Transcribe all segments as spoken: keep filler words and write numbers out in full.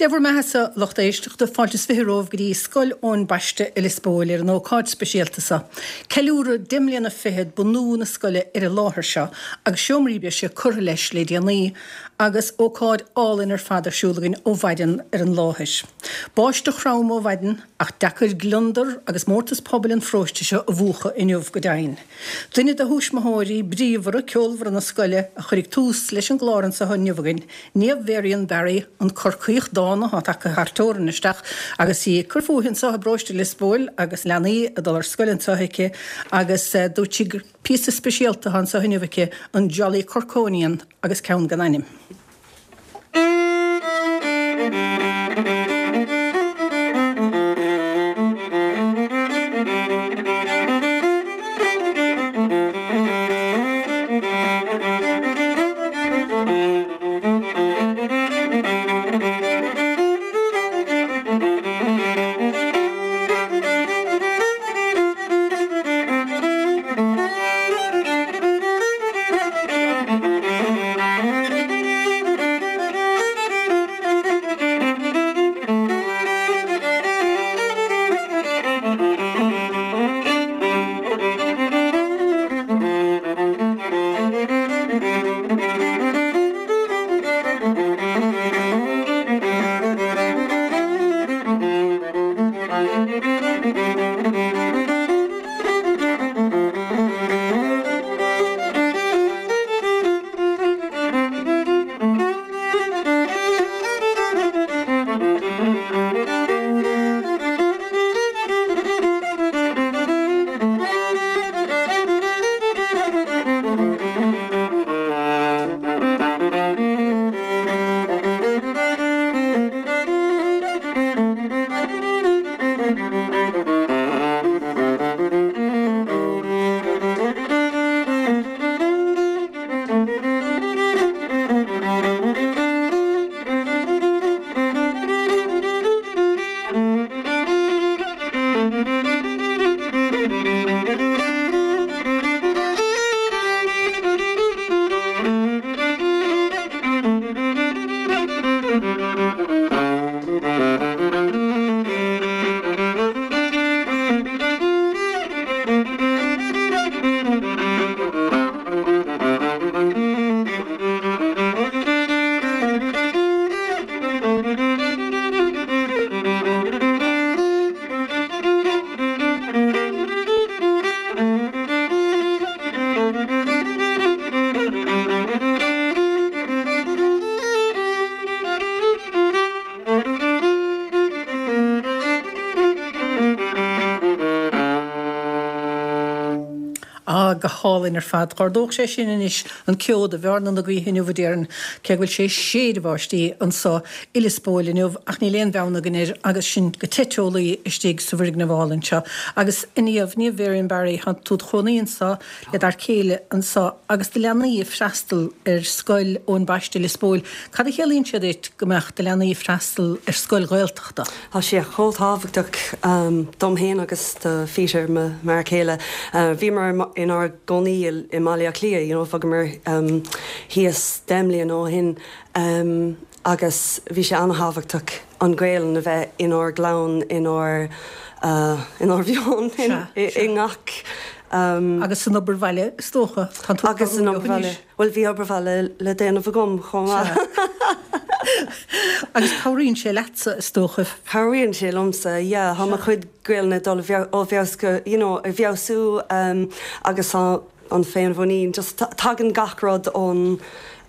Dé bhur mbeathasa lucht éisteachta fáilte is fiche romhaibh go dtí Scoil Eoin Baiste i Lios Póil ar an ócáid speisialta seo. Ceiliúradh deich mbliana fichead bunú na scoile ar an láthair seo agus seomraí breise curtha leis le déanaí agus ócáid álainn ar fad ar siúl againn ó mhaidin ar an láthair. Báisteach throm ó mhaidin ach deacair gliondar agus mórtas pobail an pharóiste seo a mhúchadh inniu go deimhin. Duine de thuismitheoirí bríomhara ceolmhara na scoile a chuirfidh tús leis an gclár anseo inniu againn, Niamh Varian Barry, an Corcaíoch dána atá tagtha thar teorainn isteach agus í ag cur fúithi anseo i bparóiste Lios Póil agus leanaí ag dul ar scoil anseo aici agus dúirt sí gur píosa speisialta atá anseo inniu aici, an Jolly Corkonian agus ceann gan ainm. Ah, go hálainn ar fad. Dh'ardódh sé sin anois an ceo do bhearna na gaoithe inniu, a déarfainn, cé go bhfuil sé ag séideadh báistí anso i Lios Póil inniu, ach níl aon bheann againn air agus sinn go te teolaí istigh sa bhfoirgneamh álainn seo. Agus a Niamh, Niamh Varian Barry, tá tú 'd chónaí anso le d'fhear céile anso agus do leanaí ag freastal ar Scoil Eoin Baiste Lios Póil. Cad a chiallaíonn sé duit go mbeadh do leanaí ag freastal ar scoil Ghaeltachta? Tá sé chomh tábhachtach dom féin agus do Pheter, mo fhear céile. Bhíomar inár gcónaí i mBaile Átha Cliath, you know, bhogamar thíos deich mbliana ó shin agus bhí sé an-thábhachtach an Ghaelainn a bheith inár gclann, inár inár mheon, i ngach. Agus san obair bhaile, is dócha. Tá tú Agus san obair bhaile. Bhuel, bhí obair bhaile le déanamh agam chomh maith. Agus cabhraíonn sé leatsa, is dócha. Cabhraíonn sé liomsa, yeah. Tá mo chuid Gaelainne ag dul ó bhfeabhas go, you know, ag feabhsú agus tá an féinmhuinín, just tagann gach rud ón,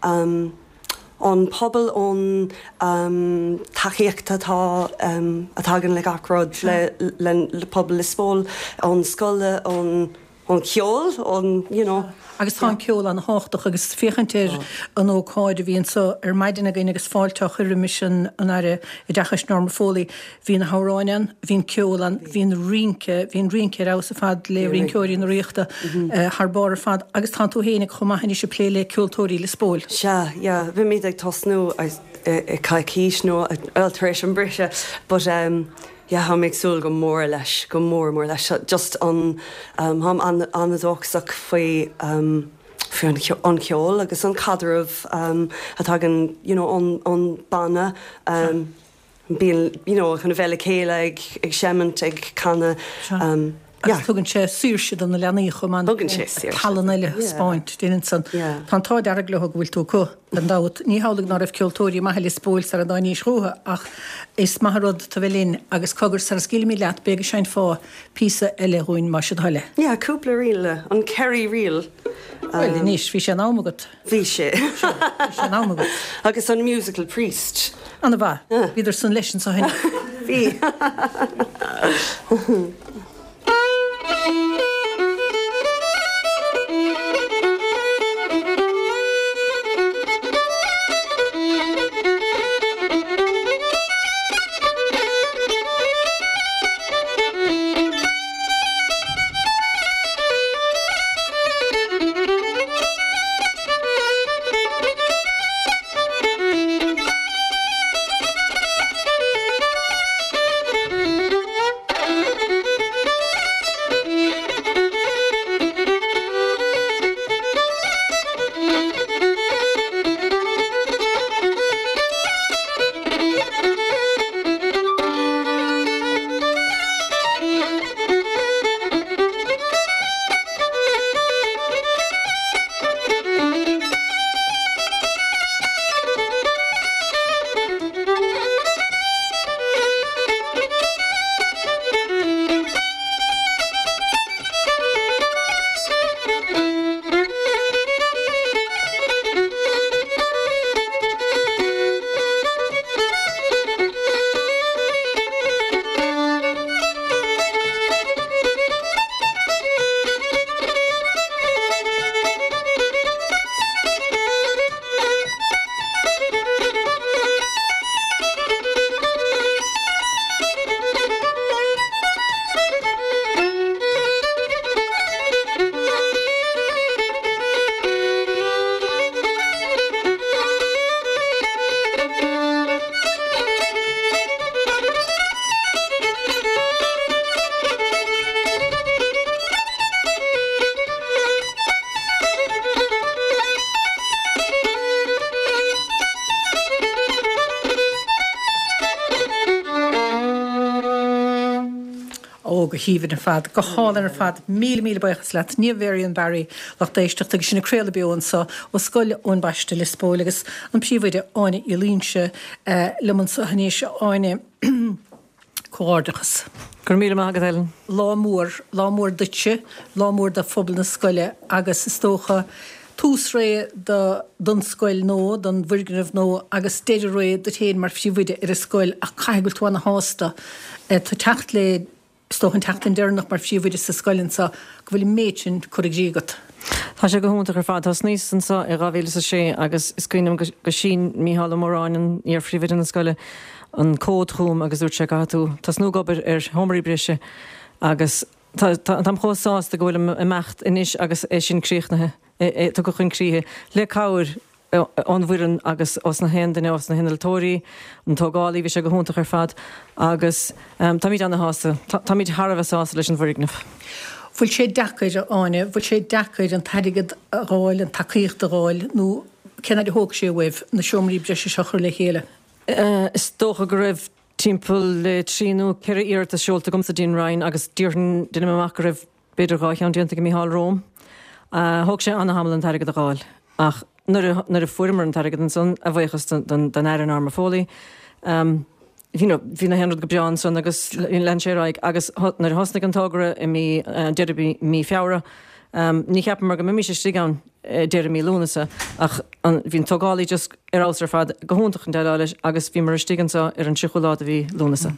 ón pobal, ón tacaíocht atá, a thagann le gach rud, le, le pobal Lios Póil, ón scoil, ón. ón cheol, ón, you know. Agus tá an ceol an-thábhachtach agus féachaint ar an ócáid a bhí anso ar maidin againn agus fáilte á chur roimis an an Aire Oideachais Norma Foley, bhí na hamhráin ann, bhí an ceol ann, bhí an rince, bhí an rince ar fheabhas ar fad le rinceoirí na Ríochta thar barr ar fad agus tá tú féinig chomh maith anois ag plé le Ceoltóirí Lios Póil. Sea, yeah, beimid ag tosnú i coicís nó bhuel tar éis an briseadh but um, Yeah, táim ag súil go mór leis, go mór mór leis. Just an, táim an-dóchasach faoi, faoi an cheol agus an caidreamh a thagann, you know, ón, ón banna. bíonn you know chun a bheith le chéile ag ag seimint ag canadh um, Agus tugann sé saoirse do na leanaí chomh maith. Tugann sé saoirse. Tallann eile spáint déanann san. Tá an t-ádh dearg leo go bhfuil tú acu gan dabht. Ní hamhlaidh ná raibh ceoltóirí maithe i Lios Póil sara dtáinís chucu ach is maith an rud tu bheith linn agus cogar sara scaoilfimid leat beidh go seinnfeá píosa eile dhúinn más é do thoil é. Yeah, cúpla ríl, an Kerry Reel. Bhuel anois bhí sé in am agat. Bhí sé. Bhí sé in am agat. Agus an Musical Priest. Ana mhaith. Bhíodar san leis anso cheana. Bhí. Ó, go haoibhinn ar fad, go hálainn ar fad. Míle, míle buíochas leat. Niamh Varian Barry, lucht éisteachta, agus sinn ag craoladh beo anseo ó Scoil Eoin Baiste, Lios Póil, agus an príomhoide Áine Uí Loingsigh liom anseo anois. Áine, comhghairdeachas. Go raibh míle maith agat, Ellen. Lá mór, lá mór duitse, lá mór do phobal na scoile agus is dócha tús ré do don scoil nua, don bhfoirgneamh nua agus deireadh ré duit féin mar phríomhoide ar an scoil ach caithfidh go bhfuil tú ana-shásta tú teacht le is dócha an tseachtain deireanach mar phríomhoide sa scoil anseo go bhfuil an méid sin curtha i gcrích agat. Tá sé go hiontach ar fad. Thosnaíos anseo i dhá mhíle is a sé agus is cuimhin liom go shín Mícheál Ó Móráin, an iar-phríomhoide na scoile, an comhad chugam agus dúirt sé caithfidh tú tosnú ag obair ar sheomraí breise agus táim chomh sásta go bhfuilim ag imeacht anois agus é sin críochnaithe, tugtha chun críche le cabhair ón bhfoireann agus ós na haon duine, ós na hinnealtóirí, an tógálaí, bhí sé go hiontach ar fad agus táimid ana-shásta, táimid thar a bheith sásta leis an bhfoirgneamh. Bhfuil sé deacair, a Áine, bhfuil sé deacair an t-airgead a dh'fháil, an tacaíocht a dh'fháil nó cén fhad a thóg sé uaibh na seomraí breise seo a chur le chéile? Is dócha go raibh timpeall le trí nó ceithre iarratas seolta agamsa dtí'n Roinn agus déarfainn, deinim amach go raibh b'fhéidir dhá cheann déanta ag Mícheál romham. Thóg sé ana-thamall an t-airgead a dh'fháil ach nuair a, nuair a fuaireamar an t-airgead ansan, a bhuíochas don, don Aire Norma Foley, you know, bhí na haon rud go breá ansan agus lean sé ar aghaidh agus nuair a thosnaigh an togra i mí, deireadh mí Feabhra, ní cheapamar go mbeimis istigh ann deireadh mí Lúnasa ach an, bhí an tógálaí just ar fheabhas ar fad, go hiontach chun déileáil leis agus bhíomar istigh anseo ar an tríochú lá de mhí Lúnasa.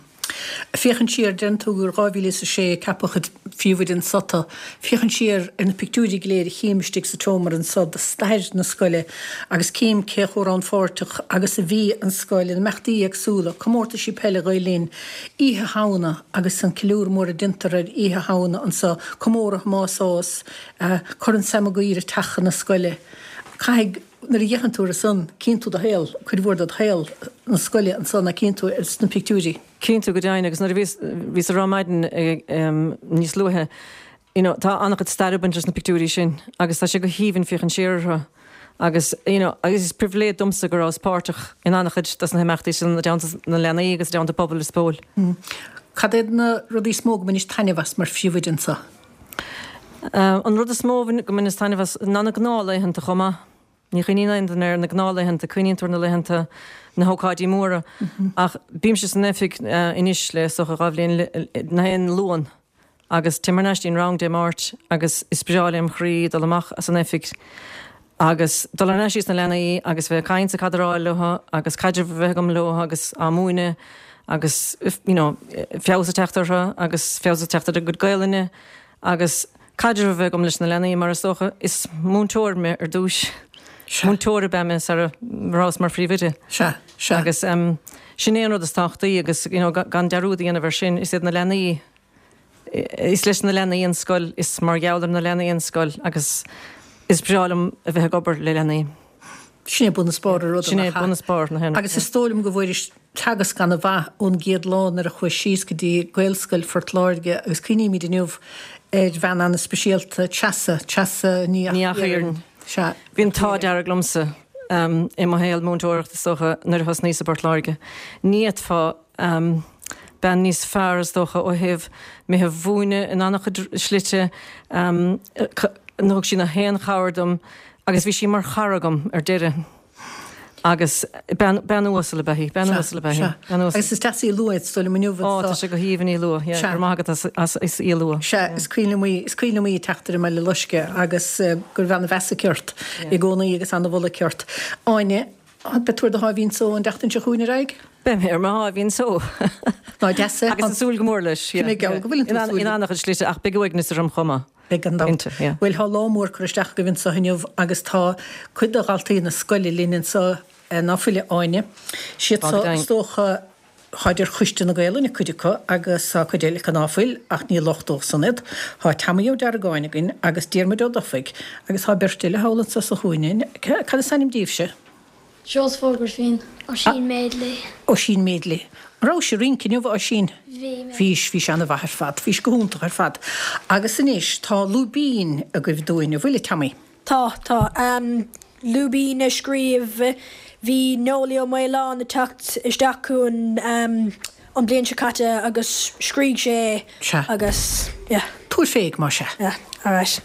Féachaint siar, deireann tú gur dhá mhíle is a sé a ceapadh id phríomhoide anso tú. Féachaint siar ar na pictiúirí go léir a chím istigh sa tseomra anso de stair na scoile agus cím cé chomh rannpháirteach agus a bhí an scoil in imeachtaí éagsúla, comórtaisí peile Ghael Linn, Oíche Shamhna agus an ceiliúradh mór a deintear ar Oíche Shamhna anso, comóradh Thomáis Ághas, Corn Sam Maguire ag teach chun na scoile. Caithfidh, nuair a fhéachann tú air san, cíonn tú do shaol, cuid mhór de shaol na scoile ansan a cíonn tú sna pictiúirí. Cíonn tú go deimhin agus nuair a bhíos, bhíos ag rá maidin níos luaithe, you know, tá an-chuid staire ag baint leis na pictiúirí sin agus tá sé go haoibhinn féachaint siar orthu Agus you know, agus is pribhléid domsa go rabhas páirteach in an-chuid dos na himeachtaí sin i dteannta na leanaí agus i dteannta pobal Lios Póil. Mm. Cad iad na rudaí is mó go mbainis taitneamh as mar phríomhoide anseo? Uh, an rud is mó go mbaineas taitneamh as ná na gnáthlaethanta chomh maith. Ní chuimhníonn aon duine ar na gnáthlaethanta, cuimhníonn tú ar na laethanta na hócáidí móra. Mm -hmm. Ach bímse san oifig uh, anois le is dócha dhá bhliain gach aon Luan. Agus téim thar n-ais dtí'n rang Dé Máirt agus is breá lem chroí dul amach as an oifig agus dul thar n-ais sna leanaí agus bheith ag caint ag cadráil leo agus caidreamh a bheith agam leo agus á múineadh agus you know, feabhas ag teacht orthu agus feabhas ag teacht ar a gcuid Gaelainne agus caidreamh a bheith agam leis na leanaí mar is dócha is múinteoir mé ar dtús. Múinteoir ab ea mé sara rabhas mar phríomhoide. Sea, sea. Agus um, sin é an rud is tábhachtaí agus you know, gan dearúd a dhéanamh air sin is iad na leanaí is leis na leanaí an scoil is mar gheall ar na leanaí an scoil agus is breá liom a bheith ag obair le leanaí. Sin é bun is barr an ruda. Sin é bun is barr na héireann. Agus is dóigh liom go bhfuairis teagasc an-mhaith ón gcéad lá nuair a chuais síos go dtí Gaelscoil Phort Láirge agus cuimhnímid inniu ar bhean an-speisialta, Treasa, Treasa Ní Ní Eachthighearn. Sea. Bhí an t-ádh dearg liomsa um, i mo shaol múinteoireachta is dócha nuair a thosnaíos i bPort Láirge. Ní fhéadfá um, bean níos fearr is dócha ó thaobh mé a mhúineadh in an-chuid slite, um, thug sí na haon chabhair dom agus bhí sí mar chara agam ar deireadh. Agus bean bean uasal ab ea í, bean uasal ab ea í, bean uasal. Agus is deas í a lua is dóigh liom inniu Ó, tá sé go haoibhinn í a lua, yeah, go raibh maith agat as as as í a lua. Sea, is cuimhin liom í, is cuimhin liom í ag teacht ar an mBaile Loiscthe agus go raibh an-mheas aici ort i gcónaí agus an-mholadh aici ort. Áine, beidh tú ar do sháimhín só an tseachtain seo chugainn ar aghaidh? Beidh mé ar mo sháimhín só. Ná deas é. Agus ag súil go mór leis. Tá mé geall go bhfuil tú ag súil. In an-chuid slite ach beidh uaigneas orm chomh maith. Beidh gan dabht. Bhuel, tá lá mór curtha isteach agaibh anseo inniu agus tá cuid de dhaltaí na scoile linn anseo ná fuil a Áine. Siad seo is dócha táid ar Choiste na Gaelainne cuid acu agus tá cuid eile acu ná fuil ach ní locht dóibh san iad. Tá Tommy Ó Deargáin againn agus Diarmuid Ó Dufaigh agus tá beirt eile thall anseo sa chúinne. Cad is ainm daoibhse? Joseph Ó Grifín. Oisín Madeley. Oisín Madeley. An rabhais ag rince inniu, a Oisín? Bhí mé. Bhís, bhís an-mhaith ar fad. Bhís go hiontach ar fad. Agus anois, tá lúibín agaibh dúinn, an bhfuil, a Tommy? Tá, tá. Lúibín a scríobh, bhí Noelie Ó Maoláin ag teacht isteach chugainn an bhliain seo caite agus scrígh sé é Sea. agus, yeah. Tabhair fé, más ea. Yeah, alright.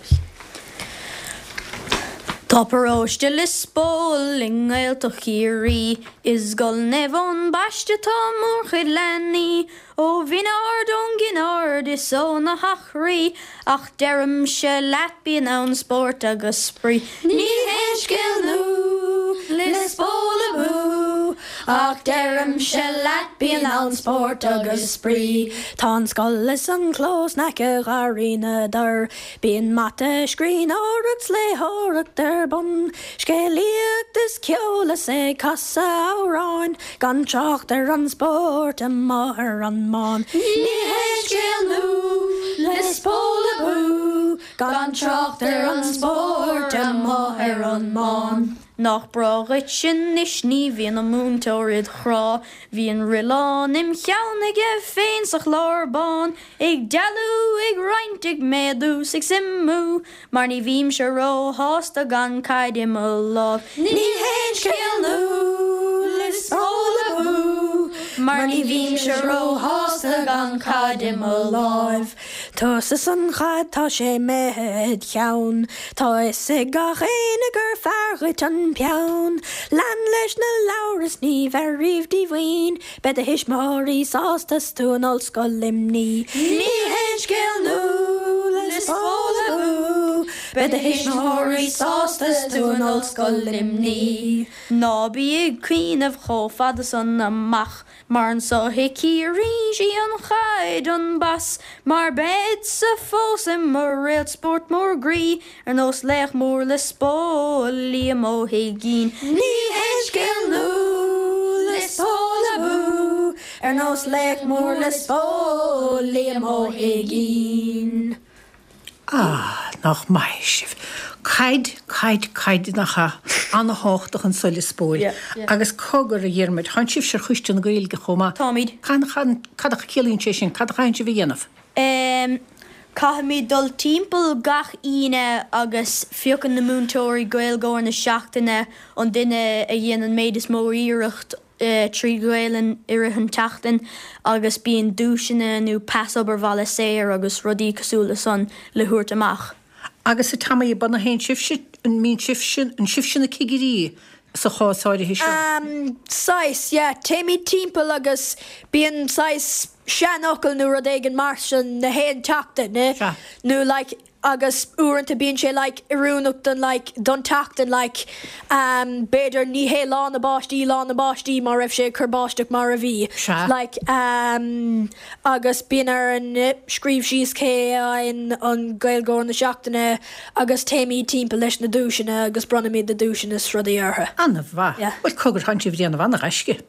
Tá paróiste Lios Póil i nGaeltacht Chiarraí. I Scoil Naomh Eoin Baiste tá mórchuid leanaí ó Bhinn Ard, ón gCinn Ard is ó na hEachraí. Ach deirimse leat bíonn ann spórt agus spraoi. Ní haon scéal nua Lios Póil abú ach deirimse leat bíonn ann spórt agus spraoi. Tá an scoil is an clós in aice Gharraí na dTor. Bíonn mata, scríbhneoireacht 's léitheoireacht ar bun, scéalaíocht is ceol is ag casadh amhráin, gan trácht ar an spórt amuigh ar an mbán. Ní haon scéal nua Lios Póil abú, gan trácht ar an spórt amuigh ar an mbán. Nach breá dhuit anois ní bhíonn an múinteoir id chrá, bhíonn roilleán im cheann aige féin sa chlár bán, ag dealú, ag roinnt, ag méadú 's ag suimiú, mar ní bhímse róshásta gan caid i mo láimh. Ní haon scéal nua Lios Póil abú, mar ní bhímse róshásta gan caid i mo láimh. Tusa 's an chaid tá sé imithe id cheann, tá fhios ag gach éinne gur fearr dhuit an peann. Lean leis na leabhair is ní bheir riamh díomhaoin, beidh do thuismitheoirí sásta 's tú in Ollscoil Luimnigh. Ní haon scéal nua Lios Póil abú, beidh do thuismitheoirí sásta 's tú in Ollscoil Luimnigh. Ná bí ag cuimhneamh chomh fada san amach, mar anso i Ciarraí sí an chaid an bas, mar beadsa fós i mo réalt spóirt mór groí, ar nós laoch mór Lios Póil, Liam Ó hUiginn. Ní haon scéal nua Lios Póil abú, ar nós laoch mór Lios Póil, Liam Ó hUiginn. Ah, nach maith sibh. Caid, caid, caid, nach ea? An-thábhachtach anso i Lios Póil. Agus cogar, a Dhiarmuid, tánn sibhse ar Choiste na Gaeilge chomh maith. Táimid. Cad a chiallaíonn sé sin? Cad a chaitheann sibh a dhéanamh? Em, Caithfimid dul timpeall gach Aoine agus piocann na múinteoirí Gaeilgeoir na seachtaine an duine a dhéanann an méid is mó iarracht trí Ghaelainn i rith an tseachtain agus bíonn duaiseanna nó pas obair bhaile saor agus rudaí cosúil le san le thabhairt amach. Agus a Tommy ba na haon sibhse an mbíonn sibhse an sibhse na cigirí sa chás áirithe seo? Um, saghas, yeah, téimid timpeall agus bíonn saghas seanfhocal nó rud éigin mar sin na haon tseachtain, ne? Sea. Nó like agus uaireanta bíonn sé like oiriúnach don like don tseachtain like um, b'fhéidir ní hé lá na báistí lá na báistí mar raibh sé ag cur báisteach mar a bhí. Sea. Like um, agus bíonn ar an scríobh síos cé an an Gaeilgeoir na seachtaine agus téimid timpeall leis na duaiseanna agus bronnfaimid na duaiseanna is rudaí orthu. An-mhaith. Yeah. Bhuel cogar tánn sibh ag déanamh an-ghaisce.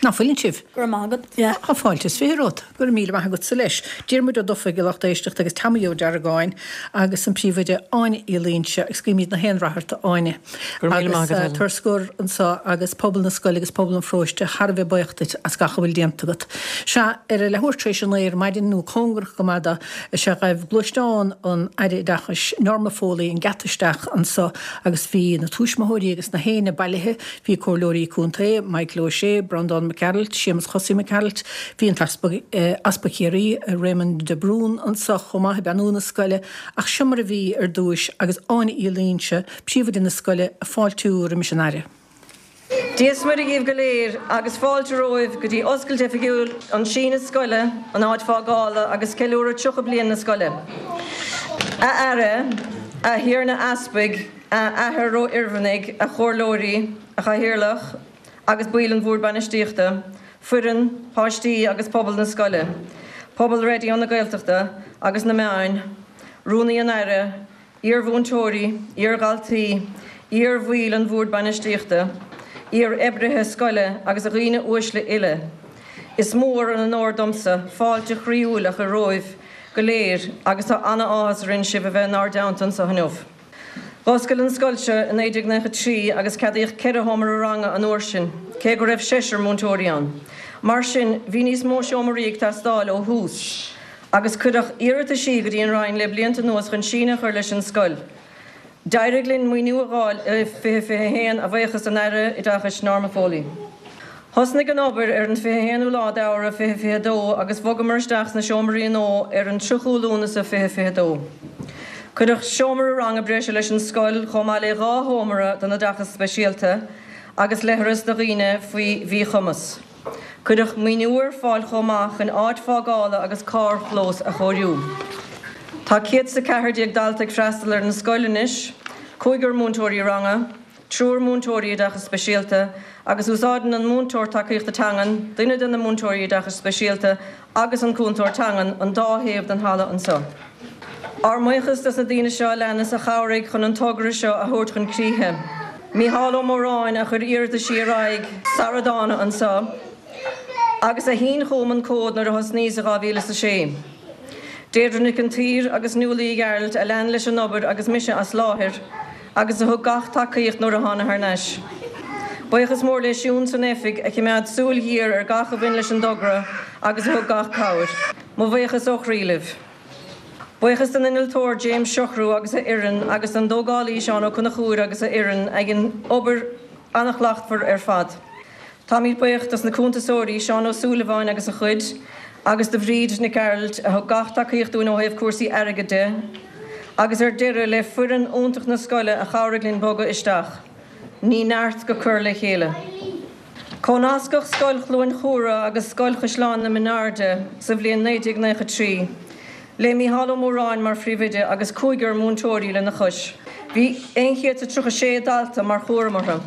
Ná fuileann sibh? Go raibh maith agat. Yeah. Tá fáilte is fiche romhat, go raibh míle maith agatsa leis. Diarmuid Ó Dufaigh a lucht éisteachta agus Tommy Ó Deargáin agus an príomhoide Áine Uí Loingsigh agus guímid na haon rath ort a Áine. Go raibh míle maith agat, Agus Helen. tar scor anseo agus pobal na scoile agus pobal an pharóiste thar a bheith buíoch duit as gach a bhfuil déanta agat. Sea ar a leathuair tar éis a naoi ar maidin nó cóngarach go maith dó is ea ghaibh gluaisteán an Aire Oideachais Norma Foley an geata isteach anseo agus bhí na tuismitheoirí agus na héinne bailithe, bhí comhairleoirí contae, Michael O'Shea, Breandán Mac Gearailt, Séamus Chosaí Mac Gearailt, bhí an tEaspag Easpag Chiarraí, Raymond de Brún anseo chomh maith ag beannú na scoile, ach seo mar a bhí ar dtús agus Áine Uí Loingsigh, príomhoide na scoile, ag fáiltiú roimis an Aire. Dia is Muire dhaoibh go léir agus fáilte romhaibh go dtí oscailt oifigiúil an síneadh scoile, an áit fágála agus ceiliúradh tríocha bliain na scoile. A Aire, a Thiarna Easpaig, a Athair Ró-Oirmhinnigh, a Chomhairleoirí, a Chathaoirleach, agus baill an Bhoird Bainistíochta, foireann, páistí agus pobal na scoile, pobal Raidió na Gaeltachta agus na meáin, Rúnaí an Aire, iar-mhúinteoirí, iar-dhaltaí, iar-bhaill an Bhoird Bainistíochta, iar-oibrithe scoile agus a dhaoine uaisle uile. Is mór an onóir domsa fáilte chroíúil a chur romhaibh go léir agus tá an-áthas orainn sibh a bheith inár dteannta anseo inniu. D'oscail an scoil seo i naoi déag nócha trí agus ceadaíodh ceithre sheomra ranga an uair sin, cé go raibh seisear múinteoirí ann. Mar sin, bhí níos mó seomraí ag teastáil ó thús, agus cuireadh iarrataisí go dtí an Roinn le blianta anuas chun síneadh a chur leis an scoil. D'éirigh linn maoiniú a fháil i fiche fiche haon a bhuíochas don Aire Oideachais Norma Foley. Thosnaigh an obair ar an fiche haonú lá d'Fheabhra fiche fiche dó agus bhogamar isteach sna seomraí nua ar an tríochú Lúnasa fiche fiche dó. Cuireadh seomra ranga breise leis an scoil chomh maith le dhá sheomra don oideachas speisialta agus leithreas do dhaoine faoi mhíchumas. Cuireadh maoiniú ar fáil chomh maith chun áit fágála agus carrchlós a chóiriú. Tá céad is a ceathair déag dalta ag freastal ar an scoil anois, cúigear múinteoirí ranga, triúr múinteoirí oideachas speisialta agus úsáideann an múinteoir tacaíochta teangan, duine de na múinteoirí oideachais speisialta agus an cúntóir teangan an dá thaobh den halla anseo. Ár mbuíochas dos na daoine seo a leanas a chabhraigh chun an togra seo a thabhairt chun críche. Mícheál Ó Móráin a chuir iarrataisí ar aghaidh sara dtána anseo, agus a shín chugam an comhad nuair a thosnaíos i dhá mhíle is a sé. Deirdre Nic an tSaoir agus Nuala Uí Ghearailt a lean leis an obair agus mise as láthair, agus a thug gach tacaíocht nuair a thána thar n-ais. Buíochas mór le Siún san oifig a choimeád súil ghéar ar gach a bhain leis an dtogra agus a thug gach cabhair. Mo bhuíochas ó chroí libh. Buíochas don innealtóir James Siochrú agus a fhoireann agus don dtógálaí Seán Ó Conchúir agus a fhoireann a dhein obair an-shlachtmhar ar fad. Táimid buíoch dos na cuntasóirí Seán Ó Súilleabháin agus a chuid, agus do Bhríd Nic Gearailt a thug gach tacaíocht dúinn ó thaobh cúrsaí airgid de, agus ar deireadh le foireann iontach na scoile a chabhraigh linn bogadh isteach. Ní neart go cur le chéile. Comhnascadh Scoil Chluain Chumhra agus Scoil Chaisleán na Minairde sa bhliain naoi déag nócha trí, le Mícheál Ó Móráin mar phríomhoide agus cúigear múinteoirí lena chois. Bhí aon chéad is tríocha sé dalta mar chúram orthu.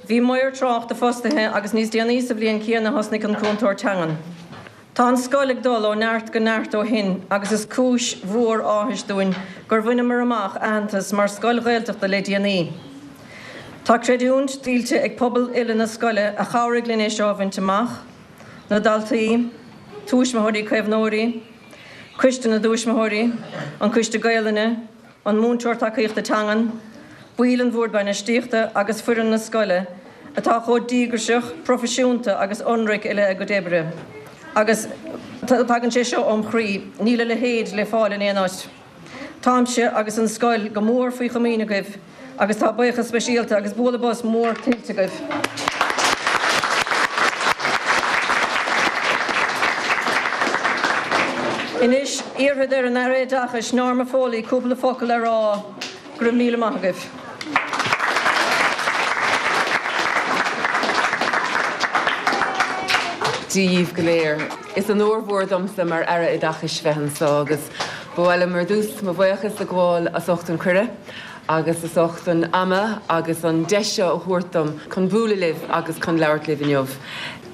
Bhí maor tráchta fostaithe agus níos déanaí sa bhliain chéanna thosnaigh an cúntóir teangan. Tá an scoil ag dul ó neart go neart ó shin agus is cúis mhór áthais dúinn gur bhaineamar amach aitheantas mar scoil Ghaeltachta le déanaí. Tá creidiúint tuillte ag pobal uile na scoile a chabhraigh linn é seo a bhaint amach, na daltaí, tuismitheoirí caomhnóirí, Coiste na dTuismitheoirí, an Coiste Gaelainne, an múinteoir tacaíochta teangan, baill an Bhoird Bainistíochta agus foireann na scoile, atá chomh díograiseach, proifisiúnta agus ionraic i leith a gcuid oibre. Agus Tagann sé seo óm chroí, níl a leithéid le fáil in aon áit. Táimse agus an scoil go mór faoi chomaoin agaibh, agus tá buíochas speisialta agus bualadh bos mór tuillte agaibh. Anois iarrfaidh ar an Aire Oideachais Norma Foley cúpla focal a rá go raibh míle maith agaibh. Dia dhaoibh go léir. Is onóir mhór domsa mar Aire Oideachais bheith anseo agus ba mhaith liom ar dtús mo bhuíochas a ghabháil as ucht an cuireadh agus as ucht an ama agus an deis seo a thabhairt dom chun bualadh libh agus chun labhairt libh inniu.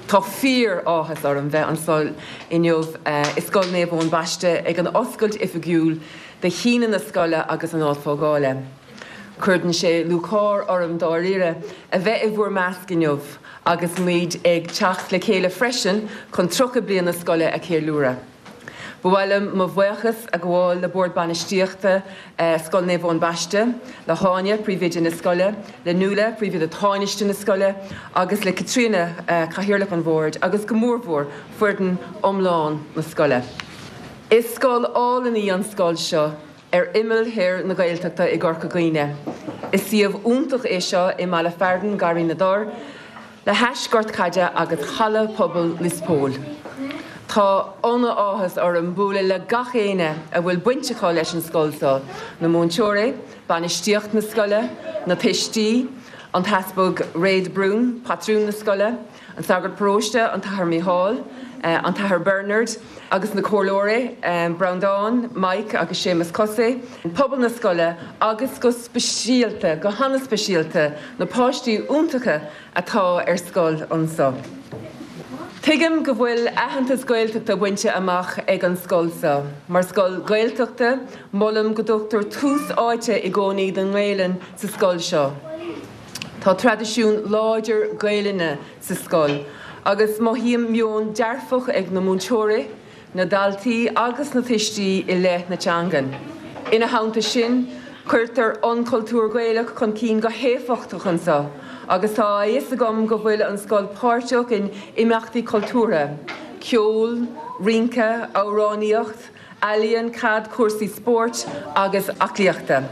Tá fíor-áthas orm bheith anseo inniu i Scoil Naomh Eoin Baiste ag an oscailt oifigiúil de shíneadh na scoile agus an áit fágála. Cuireann sé lúcháir orm dáiríre a bheith i bhur measc inniu agus muid ag teacht le chéile freisin chun tríocha bliain na scoile a cheiliúradh. Ba mhaith liom mo bhuíochas a ghabháil le Bord Bainistíochta Scoil Naomh Eoin Baiste, le hÁine, príomhoide na scoile, le Nuala, príomhoide tánaiste na scoile, agus le Caitríona, cathaoirleach an bhoird, agus go mórmhór foireann iomlán na scoile. Is scoil álainn í an scoil seo ar imeall thoir na Gaeltachta i gCorca Dhuibhne. Is suíomh iontach é seo i mbaile fearainn Garraí na dTor, le hais gort caide agus halla pobail Lios Póil. Tá an-áthas orm bualadh le gach éinne a bhfuil baint acu leis an scoil seo, na múinteoirí, bainistíocht na scoile, na tuistí, an tEaspag Ray de Brún, patrún na scoile, an sagart paróiste, an tAthair Mícheál, an tAthair Bernard, agus na comhairleoirí, Breandán, Mike agus Séamus Cosey, pobal na scoile agus go speisialta, go han-speisialta, na páistí iontacha atá ar scoil anseo. Tuigim go bhfuil aitheantas Gaeltachta bainte amach ag an scoil seo. Mar scoil Gaeltachta, molaim go dtugtar tús áite i gcónaí don nGaelainn sa scoil seo. Tá traidisiún láidir Gaelainne sa scoil, agus mothaím meon dearfach ag na múinteoirí, na daltaí agus na tuistí i leith na teangan. Ina theannta sin, cuirtear an cultúr Gaelach chun cinn go héifeachtach anseo, agus tá a fhios agam go bhfuil an scoil páirteach in imeachtaí cultúrtha, ceol, rince, amhránaíocht, ealaíon, caid, cúrsaí spóirt agus aclaíochta.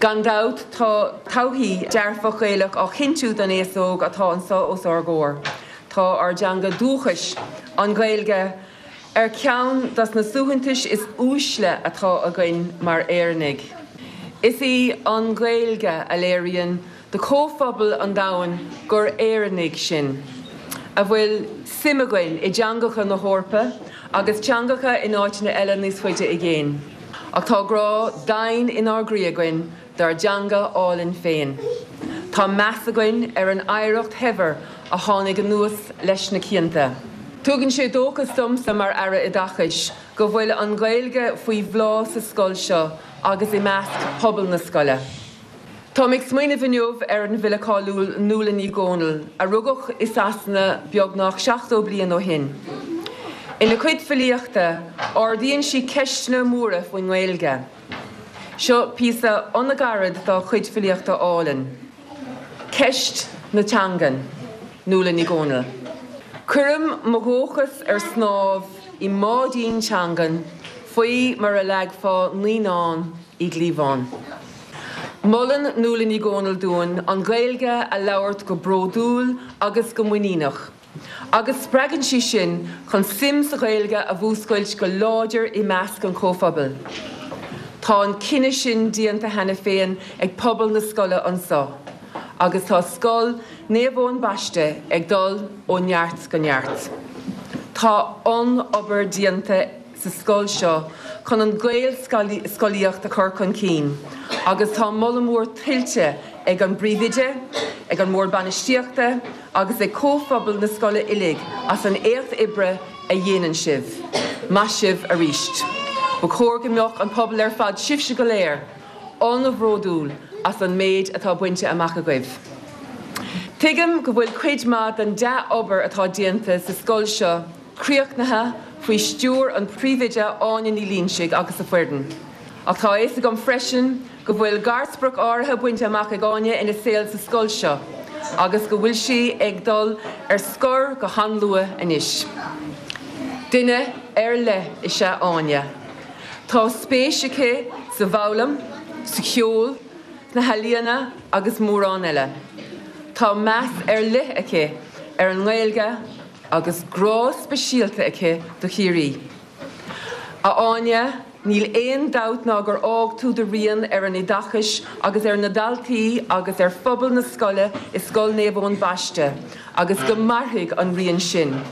Gan dabht tá todhchaí dearfach Ghaelach á chinntiú don aos óg atá anseo os ár gcomhair. Tá ár dteanga dúchais, an Ghaeilge, ar cheann dos na suaitheantais is uaisle atá againn mar Éireannaigh. Is í an Ghaeilge a léiríonn do chomhphobal an domhain gur Éireannaigh sinn, a bhfuil suim againn i dteangacha na hEorpa agus teangacha in áiteanna eile níos faide i gcéin. Ach tá grá domhain inár gcroí againn dár dteanga álainn féin. Tá meas againn ar an oidhreacht shaibhir a tháinig anuas leis na cianta. Tugann sé dóchas domsa mar Aire Oideachais go bhfuil an Ghaeilge faoi bhláth sa scoil seo agus i measc pobal na scoile. Táim ag smaoineamh inniu ar an bhfile cáiliúil Nuala Ní Dhomhnaill, a rugadh i Sasana beagnach seachtó bliain ó shin. Ina cuid filíochta, ardaíonn sí ceisteanna móra faoin nGaeilge. Seo píosa an-ghairid dá cuid filíochta álainn. Ceist na teangan, Nuala Ní Dhomhnaill. Cuirim mo dhóchas ar snámh i mbáidín teangan faoi mar a leagfá naíonán i gcliabhán. Molann Nuala Ní Dhomhnaill dúinn an Ghaeilge a labhairt go bródúil agus go muiníneach, agus spreagann sí sinn chun suim sa Ghaeilge a mhúscailt go láidir i measc an chomhphobail. Tá an cinneadh sin déanta cheana féin ag pobal na scoile anseo, agus tá scoil Naomh Eoin Baiste ag dul ó neart go neart. Tá an-obair déanta sa scoil seo chun an Ghaelscolaíocht a chur chun cinn, agus tá moladh mór tuillte ag an bpríomhoide, ag an mBord Bainistíochta agus ag comhphobal na scoile uilig as an éacht oibre a dhéanann sibh. Maith sibh arís. Ba chóir go mbeadh an pobal ar fad sibhse go léir, an-bhródúil as an méid atá bainte amach agaibh. Tuigim go bhfuil cuid maith den dea-obair atá déanta sa scoil seo críochnaithe faoi stiúir an phríomhoide Áine Ní Loingsigh agus a foireann. Ach tá a fhios agam freisin go bhfuil garsprioc áirithe bainte amach ag Áine ina saol sa scoil seo, agus go bhfuil sí ag dul ar scor go han-luath anois. Duine ar leith is ea Áine. Tá spéis aici sa bhfoghlaim, sa cheol, sna healaíona agus mórán eile. Tá meas ar leith aici ar an nGaeilge agus grá speisialta aici do Chiarraí. A Áine, níl aon dabht ná gur fhág tú do rian ar an oideachas agus ar na daltaí agus ar phobal na scoile i Scoil Naomh Eoin Baiste, agus go mairfidh an rian sin.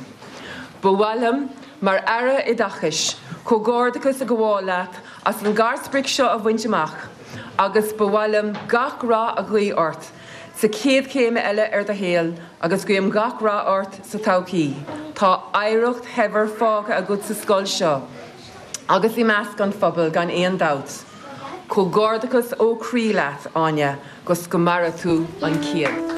Ba mhaith liom, mar Aire Oideachais, comhghairdeachas a ghabháil leat as an ngarsprioc seo a bhaint amach, agus ba mhaith liom gach rath a ghuí ort sa chéad chéim eile ar do shaol agus guím gach rath ort sa todhchaí. Tá oidhreacht shaibhir fágtha agat sa scoil seo agus i measc an phobail gan aon dabht. Comhghairdeachas ó chroí leat, Áine, gus go maire tú an céad.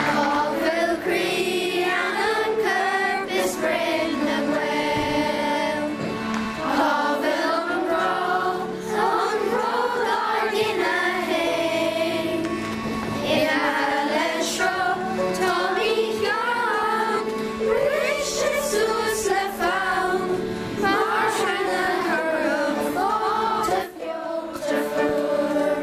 Cá bhfuil croí, anam, corp is broinn na nGael? Cá bhfuil an grá, an bród ár gcine féin? Imithe le sruth, táimid gann, briste suas le fonn, mar threine thurab fáta feolta fuar.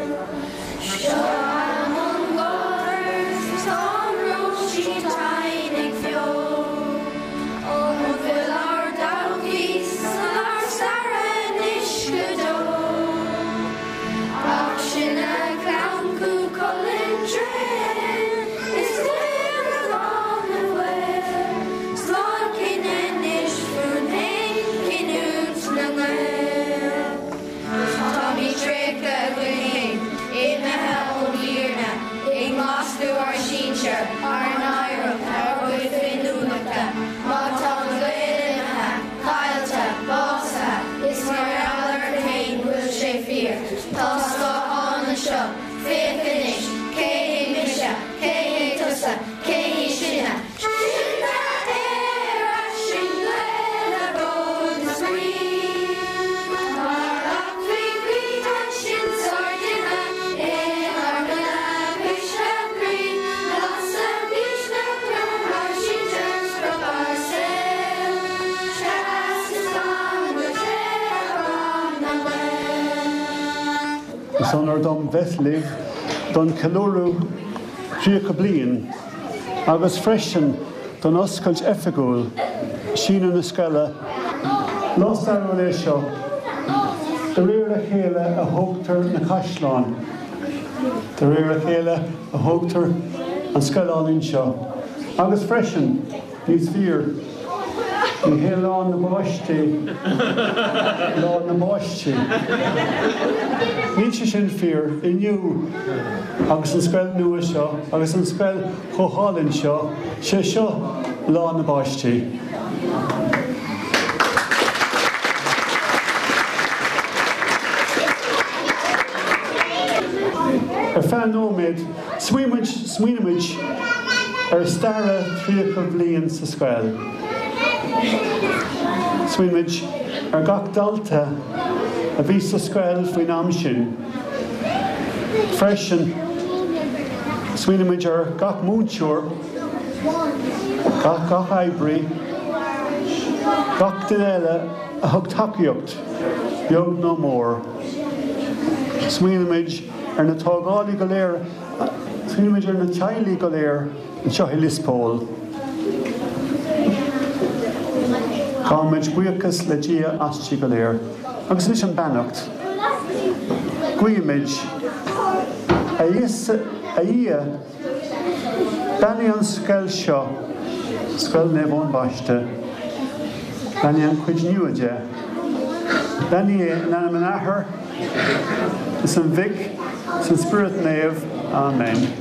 Seo am an gháthair, tá an róisín tinn ag feoil. An bhfuil ár dtodhchaí san ár stair anois go deo? Ach sinne clann Chú Chulainn tréan, is laochra gan na bhfuil. Slán cinn anois fúinn féin, cinniúint na nGael. Táimid tréigthe againn féin, imithe ón bhfírinne, ag maslú ár sinsear, ár n-oidhreacht, ár gcuid féiniúlachta. Má tá an Gael imithe, caillte, básaithe, is mar gheall ort féin bhfuil sé fíor. Tá scáthán anseo, féach anois, cé hé mise, cé hé tusa, cé hí sinne. Sinne Éire, sin Gaeil le bród is brí. Mar aclaí croí sin sár duine, inár mbile cuisle croí, lasadh misneach ár sinsear sprioc ár saoil. Seas is fan go tréan na nGael. Is onóir dom bheith libh don cheiliúradh tríocha bliain, agus freisin don oscailt oifigiúil síneadh na scoile. Lá stairiúil é seo, de réir a chéile a thógtar na caisleáin, de réir a chéile a thógtar an scoil álainn seo. Agus freisin, níos fíor, ní hé lá na bpáistí, lá na bpáistí. Níl sé sin fíor inniu agus an scoil nua seo agus an scoil chomh hálainn seo, sé seo lá na bpáistí. Ar feadh nóiméad, smaoinímid smaoinímid ar stair tríocha bliain sa scoil. Smaoinímid ar gach dalta a bhí sa scoil faoin am sin. Freisin, smaoinímid ar gach múinteoir, gach gach oibrí, gach duine eile a thug tacaíocht, beag nó mór. Smaoinímid ar na tógálaí go léir, smaoinímid ar na teaghlaigh go léir anseo i Lios Póil. Gabhaimid buíochas le Dia aisti go léir, agus anois an beannacht. Guímid a Íosa, a Dhia, beannaigh an scoil seo, Scoil Naomh Eoin Baiste, beannaigh an chuid nua de. Beannaigh é in ainm an Athar, is an Mhic, is an Spiorad Naomh. Amen.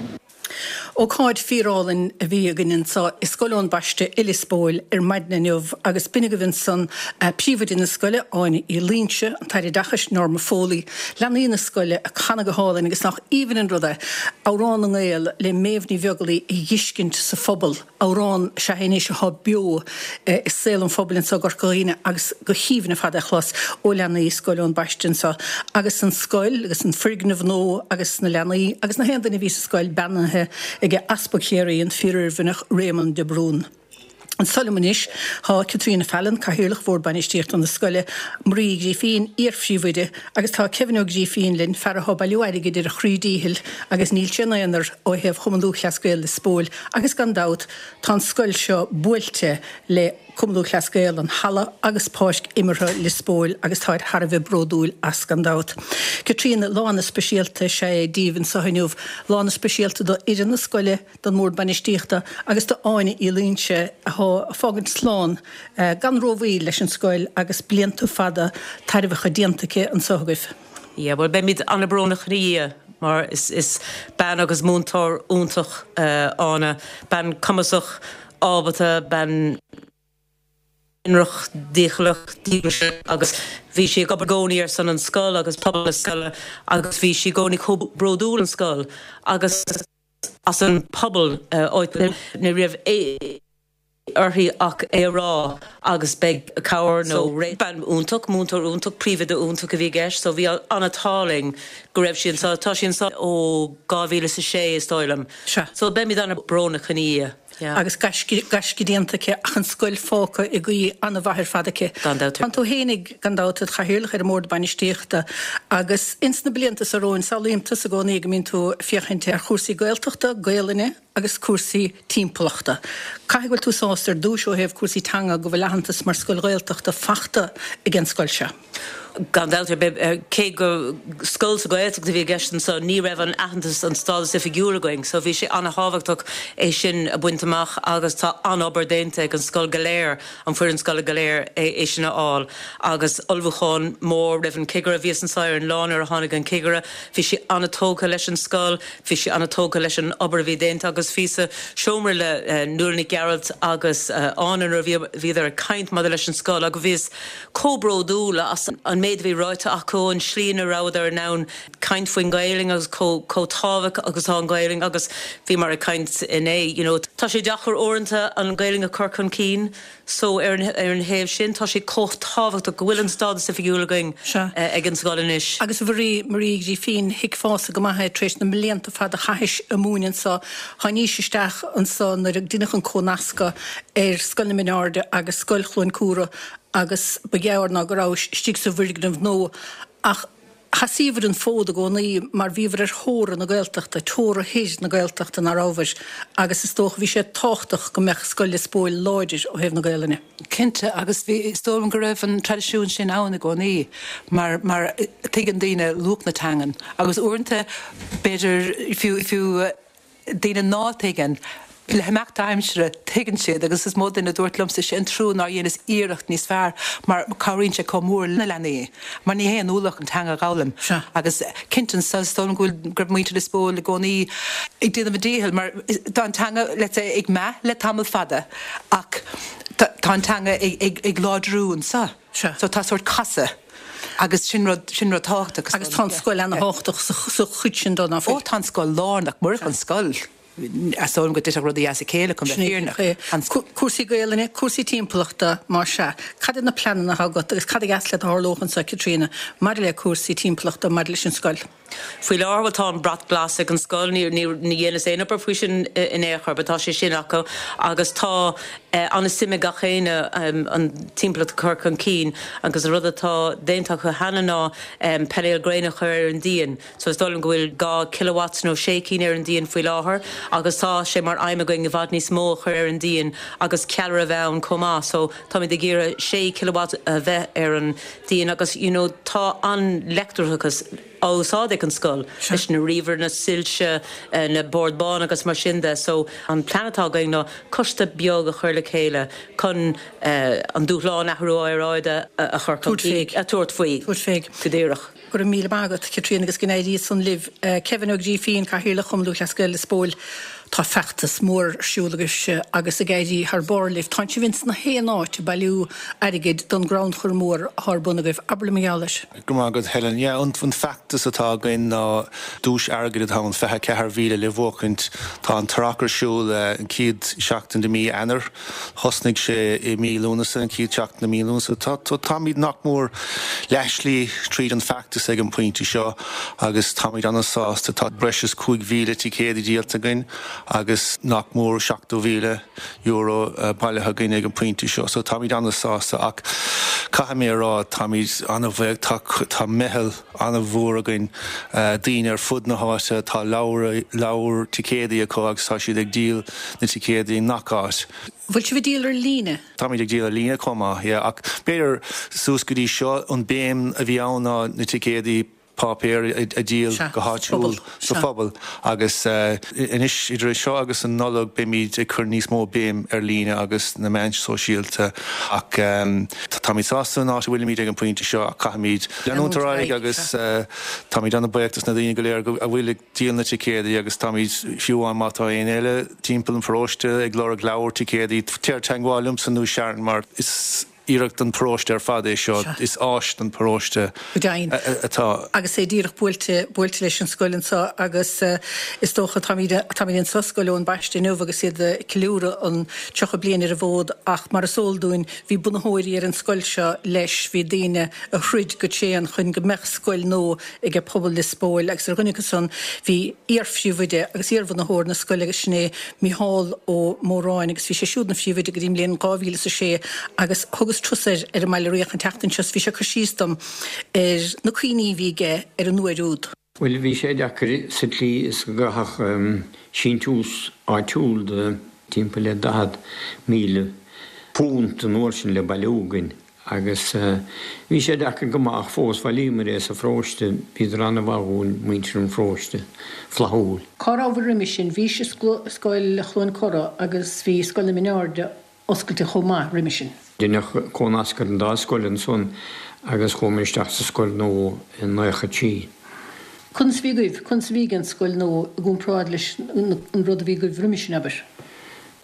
Ócáid fíorálainn a bhí againn anseo i Scoil Eoin Baiste i Lios Póil ar maidin inniu agus b'in agaibh ansan príomhoide na scoile, Áine Uí Loingsigh, an tAire Oideachais, Norma Foley, leanaí na scoile ag canadh go hálainn agus nach aoibhinn an rud é, Amhrán na nGael le Méabh Ní Bheaglaoich a dh'fheiscint sa phobal, amhrán is ea é anois atá beo i saol an phobail anseo i gCorca Dhuibhne agus go haoibhinn ar fad é a chlos ó leanaí Scoil Eoin Baiste anseo agus an scoil agus an foirgneamh nua agus na leanaí agus na haon duine a bhí sa scoil beannaithe ag Easpag Chiarraí an Fíor-Oirmhinneach Réamonn de Brún. Anseo liom anois tá Caitríona Fallon, Cathaoirleach Bhord Bainistíochta na scoile, Marie Grífín, iar-phríomhoide, agus tá Kevin Ó Grífín linn, fear atá ag bailiú airgid ar a chroí díchill agus níl sé ina aonar ó thaobh Chumann Lúthchleas Gael Lios Póil agus gan dabht tá an scoil seo buailte le Cumann Lúthchleas Gael, an halla agus páirc imeartha Lios Póil agus táid thar a bheith bródúil as gan dabht. Caitríona, lá ana-speisialta is ea é daoibh anseo inniu, lá ana-speisialta do fhoireann na scoile, don mBord Bainistíochta agus do Áine Uí Loingsigh atá ag fágaint slán gan rómhoill leis an scoil agus blianta fada tairbheacha déanta aici anseo agaibh. Yeah, bhuel beimid an-bhrónach ina dhiaidh mar is is bean agus múinteoir iontach Áine, bean cumasach, ábalta, bean ionraic, dícheallach, díograiseach agus bhí sí ag obair i gcónaí ar son an scoil agus pobal na scoile agus bhí sí i gcónaí chomh bródúil an scoil agus as an pobal áit ní raibh uirthi ach é a rá agus beidh cabhair nó bean iontach, múinteoir iontach, príomhoide iontach a bhí i gceist, so bhí an-ádh linn go raibh sí anseo, tá sí anseo ó dhá mhíle is a sé is dóigh liom. So beimid an-bhrónach ina dhiaidh. Yeah. Agus gaisce déanta aici ach an scoil fágtha i gcaoi an-mhaith ar fad aici. Gan dabht. Tá tú fhéinig gan dabht id chathaoirleach ar an mBord Bainistíochta agus ins na blianta seo romhainn samhlaím tusa i gcónaí go mbíonn tú ag féachaint ar chúrsaí Gaeltachta, Gaelainne agus cúrsaí timpeallachta. Caithfidh go bhfuil tú sásta ar dtús ó thaobh cúrsaí teanga go bhfuil aitheantas mar scoil Ghaeltachta fachta ag an scoil seo. Gan dabht ar bith, cé gur scoil sa Ghaeltacht a bhí i gceist anseo, ní raibh an aitheantas, an stádas oifigiúil againn, so bhí sé an-thábhachtach é sin a bhaint amach agus tá an-obair déanta ag an scoil go léir, an foireann scoile go léir é sin a fháil. Agus ullmhúchán mór roimh an cigire, bhíos anseo ar an lá nuair a tháinig an cigire, bhí sé an-tógtha leis an scoil, bhí sé an-tógtha leis an obair a bhí déanta agus bhíos sa seomra le Nuala Nic Gearailt agus Áine nuair a bhíodar ag caint maidir leis an scoil agus bhíos chomh bródúil as an méid a bhí ráite acu, an slí ina rabhadar in ann caint faoin Ghaelainn agus chomh tábhachtach agus atá an Ghaelainn agus bhíomar ag caint inné, you know, tá sé deacair uaireanta an Ghaelainn a chur chun cinn so ar an ar an thaobh sin tá sé chomh tábhachtach go bhfuil an stádas oifigiúil againn ag an scoil anois. Agus a Mharie, Marie Grífín, thuigfeása go maith é tar éis na mblianta fada a chaithis ag múineadh anso, tháinís isteach anso nuair a deineadh an comhnascadh ar Scoil na Mine Airde agus Scoil Chluain Cúra agus ba ghearr ná go rabhais istigh sa bhfoirgneamh nua ach sheasaíobhair an fód i gcónaí mar bhíobhair ar theora na Gaeltachta, teora thoir na Gaeltachta ná rabhabhair agus is dócha bhí sé tábhachtach go mbeadh Scoil Lios Póil láidir ó thaobh na Gaelainne. Cinnte agus bhí, is dóigh liom go raibh an traidisiún sin ann i gcónaí mar, mar tuigeann daoine luach na teangan agus uaireanta b'fhéidir fiú, fiú daoine ná tuigeann, Le himeacht aimsire, tuigeann siad agus is mó duine a dúirt liomsa, sé an trua nár dheineas iarracht níos fearr mar cabhraíonn sé chomh mór le na leanaí mar ní hé an ualach an teanga a dh'fhoghlaim. Agus cinnte anso is dóigh liom go bhfuil, go raibh muintir Lios Póil i gcónaí ag déanamh a dícheall mar tá an teanga, let's say, ag meath le tamall fada ach tá an teanga ag, ag, ag láidriú anso. So tá sórt casadh agus sin rud, sin rud tábhachtach. Agus tá an scoil ana-thábhachtach sa, sa chuid sin dó, ná fuil? Ó tá an scoil lárnach, murach an scoil. Is dóigh liom go dtitfeadh rudaí as a chéile chun bheith fírinneach. Cúrsaí Gaelainne, cúrsaí timpeallachta, más ea. Cad iad na pleananna atá agat agus cad a gheas leat a tharlódh anseo, Caitríona, maidir le cúrsaí timpeallachta, maidir leis an scoil? Faoi láthair, bhuel, tá an brat glas ag an scoil, ní dheineas aon obair faoi sin in aon chor, but tá sé sin acu agus tá an-suim ag gach éinne an timpeallacht a chur chun cinn agus an rud atá déanta acu cheana ná painéil gréine a chur ar an díon. So is dóigh liom go bhfuil dhá kilowatts nó sé cinn ar an díon faoi láthair agus tá sé mar aidhm againn i bhfad níos mó a chur ar an díon agus ceallra a bheith ann chomh maith. So táimid ag iarraidh sé kilowatt a bheith ar an díon agus you know tá an leictreachas á úsáid ag an scoil leis na ríomhairí, na soilse, na bord bán agus mar sin de. So an plean atá againn ná coiste beag a chur le chéile chun an dúshlán athrú aeráide a chur chun cinn, a tabhairt faoi go díreach. Go raibh míle maith agat, Caitríona, agus go n-éirí san libh. Kevin Ó Grífín, Cathaoirleach Chumann Lúthchleas Gael Lios Póil, Tá feachtas mór ar siúl agaibhse agus ag éirí thar barr libh. Tánn sibh ins na haon áit ag bailiú airgid don gcrannchur mór atá ar bun agaibh. Abair liom mar gheall air. Go raibh maith agat, Helen. Yeah, an feachtas atá againn ná duais airgid atá ann, fiche ceathair mhíle le buachaint. Tá an tarrac ar siúl an chéad seachtain de mí Eanáir. Thosnaigh sé i mí Lúnasa, an chéad seachtain de mí Lúnasa. Tá, táimid nach mór leathshlí tríd an feachtas ag an bpointe seo agus táimid an-sásta. Tá breis is cúig mhíle ticéad díolta againn agus nach mór seachtó mhíle euro bailithe againn ag an pointe seo, so táimid an-sásta ach caithfidh mé a rá táimid an-bhuíoch, tá tá meitheal an-mhór againn daoine ar fud na háite, tá leabhar leabhar ticéadaí acu agus tá siad ag díol na ticéadaí i ngach áit. Bhfuil sibh ag díol ar líne? Táimid ag díol ar líne chomh maith, yeah, ach b'fhéidir suas go dtí seo an béim a bhí ann ná na ticéadaí páipéir a dhíol go háitiúil sa phobal agus anois idir seo agus an Nollaig beimid ag cur níos mó béim ar líne agus na meáin sóisialta ach táimid sásta an áit a bhfuilimid ag an pointe seo ach caithfimid leanúint ar aghaidh agus táimid an-bhuíoch dos na daoine go léir a bhfuil ag díol na ticéadaí agus táimid fiú amháin má tá éinne eile timpeall an pharóiste ag lorg leabhar ticéadaí téir i dteagmháil liomsa nó Sharon mar is iarracht don pharóiste ar fad é seo, is áis don pharóiste atá. Agus é díreach buailte buailte leis an scoil anseo agus is dócha táimid táimid anseo Scoil Eoin Baiste inniu agus iad ag ceiliúradh an tríocha bliain ar an bhfód ach mar is eol dúinn bhí bunaitheoirí ar an scoil seo leis, bhí daoine a throid go tréan chun go mbeadh scoil nua ag pobal Lios Póil agus ar dhuine acu san bhí iar-phríomhoide agus iar-bhunaitheoir na scoile agus sin é Mícheál Ó Móráin agus bhí sé siúd ina phríomhoide go dtí an mbliain dhá mhíle is a sé agus thugas turas air ar an mBaile Riach an tseachtain seo 's bhí sé ag cur síos dom ar na cuimhní a bhí aige ar an uair úd. Bhuel, bhí sé deacair sa tslí is go gcaithfeadh síntiús áitiúil de timpeall le daichead míle punt an uair sin le bailiú againn agus bhí sé deacair go maith ach fós bhailíomar é sa pharóiste, bhíodar an-mhaith dhúinn, muintir an pharóiste, flaithiúil. Cá rabhabhair roimhe sin? Bhí Scoil Chluain Cora agus bhí Scoil na Mine Airde oscailte chomh maith roimhe sin. Deineadh comhnasc ar an dá scoil ansan agus chuamar isteach sa scoil nua i naocha trí. Conas a bhí agaibh, conas a bhí ag an scoil nua i gcomparáid leis an rud a bhí agaibh roimhe sin, abair?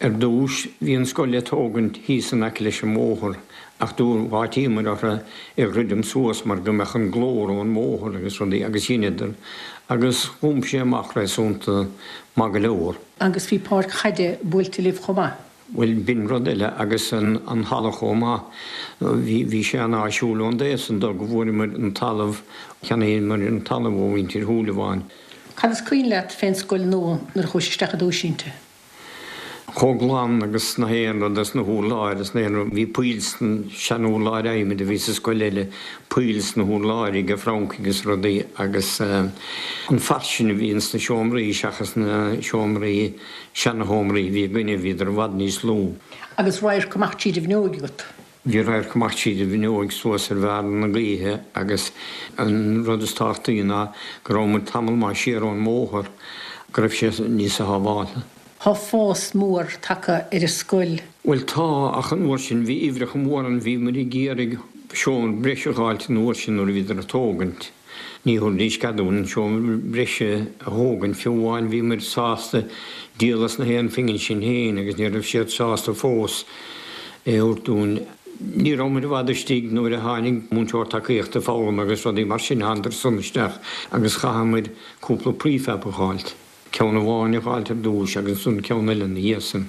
Ar dtús bhí an scoil le tógaint thíos in aice leis an mbóthar ach d'áitíomar orthu é dhruidim suas mar go mbeadh an glór ón mbóthar agus rudaí agus dheineadar agus dh'iompaigh sé amach réasúnta maith go leor. Agus bhí páirc chaide buailte libh chomh maith? Bhuel, b'in rud eile agus an halla chomh maith. Bhí, bhí sé an-áisiúil ón dtaobh san de go bhfuaireamar an talamh, cheannaíomar an talamh ó mhuintir Shúilleabháin. Cad is cuimhin leat fén scoil nua nuair a chuais isteach i dtús inti? Chomh glan agus na haon rud as na hurláir is na haon rud. Bhí poill sna sean-urláir adhmaid a bhí sa scoil eile, poill sna hurláir ag francaigh agus rudaí agus an fairsinge a bhí ins na seomraí seachas na seomraí Seana-sheomraí a bhí againne, bhíodar i bhfad níos lú. Agus radharc amach tríd an bhfuinneoig agat. Bhí radharc amach tríd an bhfuinneoig suas ar bharr na gaoithe agus an rud is tábhachtaí ná go raibh muid tamall maith siar ón mbóthar, go raibh sé níosa shábháilte. Tá fás mór tagtha ar an scoil. Bhuel tá, ach an uair sin bhí uimhreacha móra ann, bhí muid ag iarraidh seomra breise a dh'fháilt an uair sin nuair a bhíodar ag tógaint. Ní thabharfaidís cead dúinn an seomra breise a thógaint, fiú amháin bhí muid sásta díol as na haon phingin sin féin agus ní raibh siad sásta fós é a thabhairt dúinn. Ní raibh muid i bhfad istigh nuair a tháinig múinteoir tacaíochta foghlama agus rudaí mar sin, thánadar san isteach agus chaitheamair cúpla prefab a dh'fháilt. Ceann amháin a dh'fháilt ar dtúis agus ansan ceann eile ina dhiaidh san.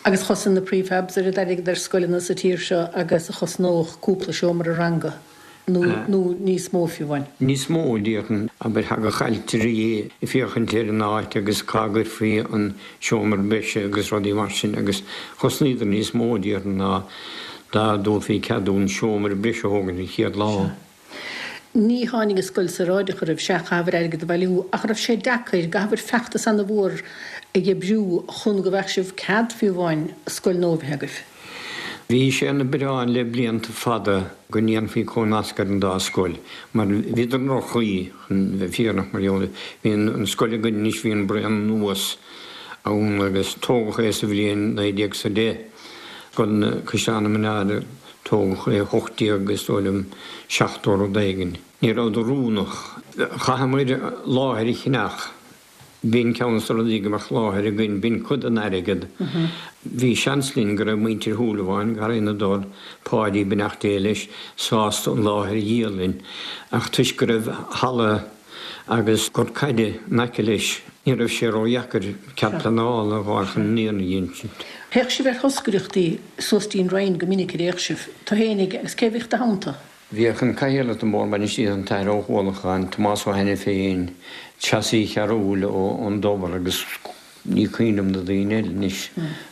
Agus chosain na prefabs oiread airgid ar scoileanna sa tír seo agus a chosnódh cúpla seomra ranga. nó nó níos mó fiú amháin. Níos mó, déarfainn. Abair, thagadh ailtirí ag féachaint ar an áit agus cá gcuirfí an seomra breise agus rudaí mar sin agus chosnaíodar níos mó, déarfainn, ná dá dtabharfaí cead dúinn seomra breise a thógaint an chéad lá. Sea. Ní tháinig an scoil saoráideach oraibh, sea, chaitheabhair airgead a bhailiú, ach raibh sé deacair, gcaithfeabhair feachtas ana-mhór a oibriú chun go bhfaigheadh sibh cead fiú amháin scoil nua a bheith agaibh. Bhí sé ina bhiorán le blianta fada go ndéanfaí comhnasc ar an dá scoil, mar bhíodar i ndroch-chaoi, chun bheith fírinneach, mar gheall, bhí an scoil againn anois, bhí an Braon Anuas ann agus tógadh é sa bhliain naoi déag 's a deich, Scoil Chaisleán na Mine Airde, tógadh é hocht déag, is dóigh liom, seachtó rud éigin. Ní rabhadar oiriúnach. Chaitheamair láthair a cheannach. B'in ceann de na rudaí go mbeadh láthair againn, b'in cuid den airgead. Bhí seans linn go raibh muintir Shúilleabháin, Garraí na dTor, Páidí, beannacht Dé leis, sásta an láthair a dhíol linn, ach toisc go raibh halla agus gort caide in aice leis, ní raibh sé ródheacair cead pleanála a dh'fháil chun an naíonra a dh'fheistiú. Théadh sibh ar thoscaireachtaí suas dtí'n Rinn go minic, ar fhéach sibh? Tú fhéinig agus cé a bhíodh i do theannta? Bhíodh an Cathaoirleach den Bhord Bainistíochta, an tAthair Ó hUallacháin, Tomás Ó hAiniféin, Treasa Uí Chearúil ón dTobar agus Ní cuimhin liom na daoine eile anois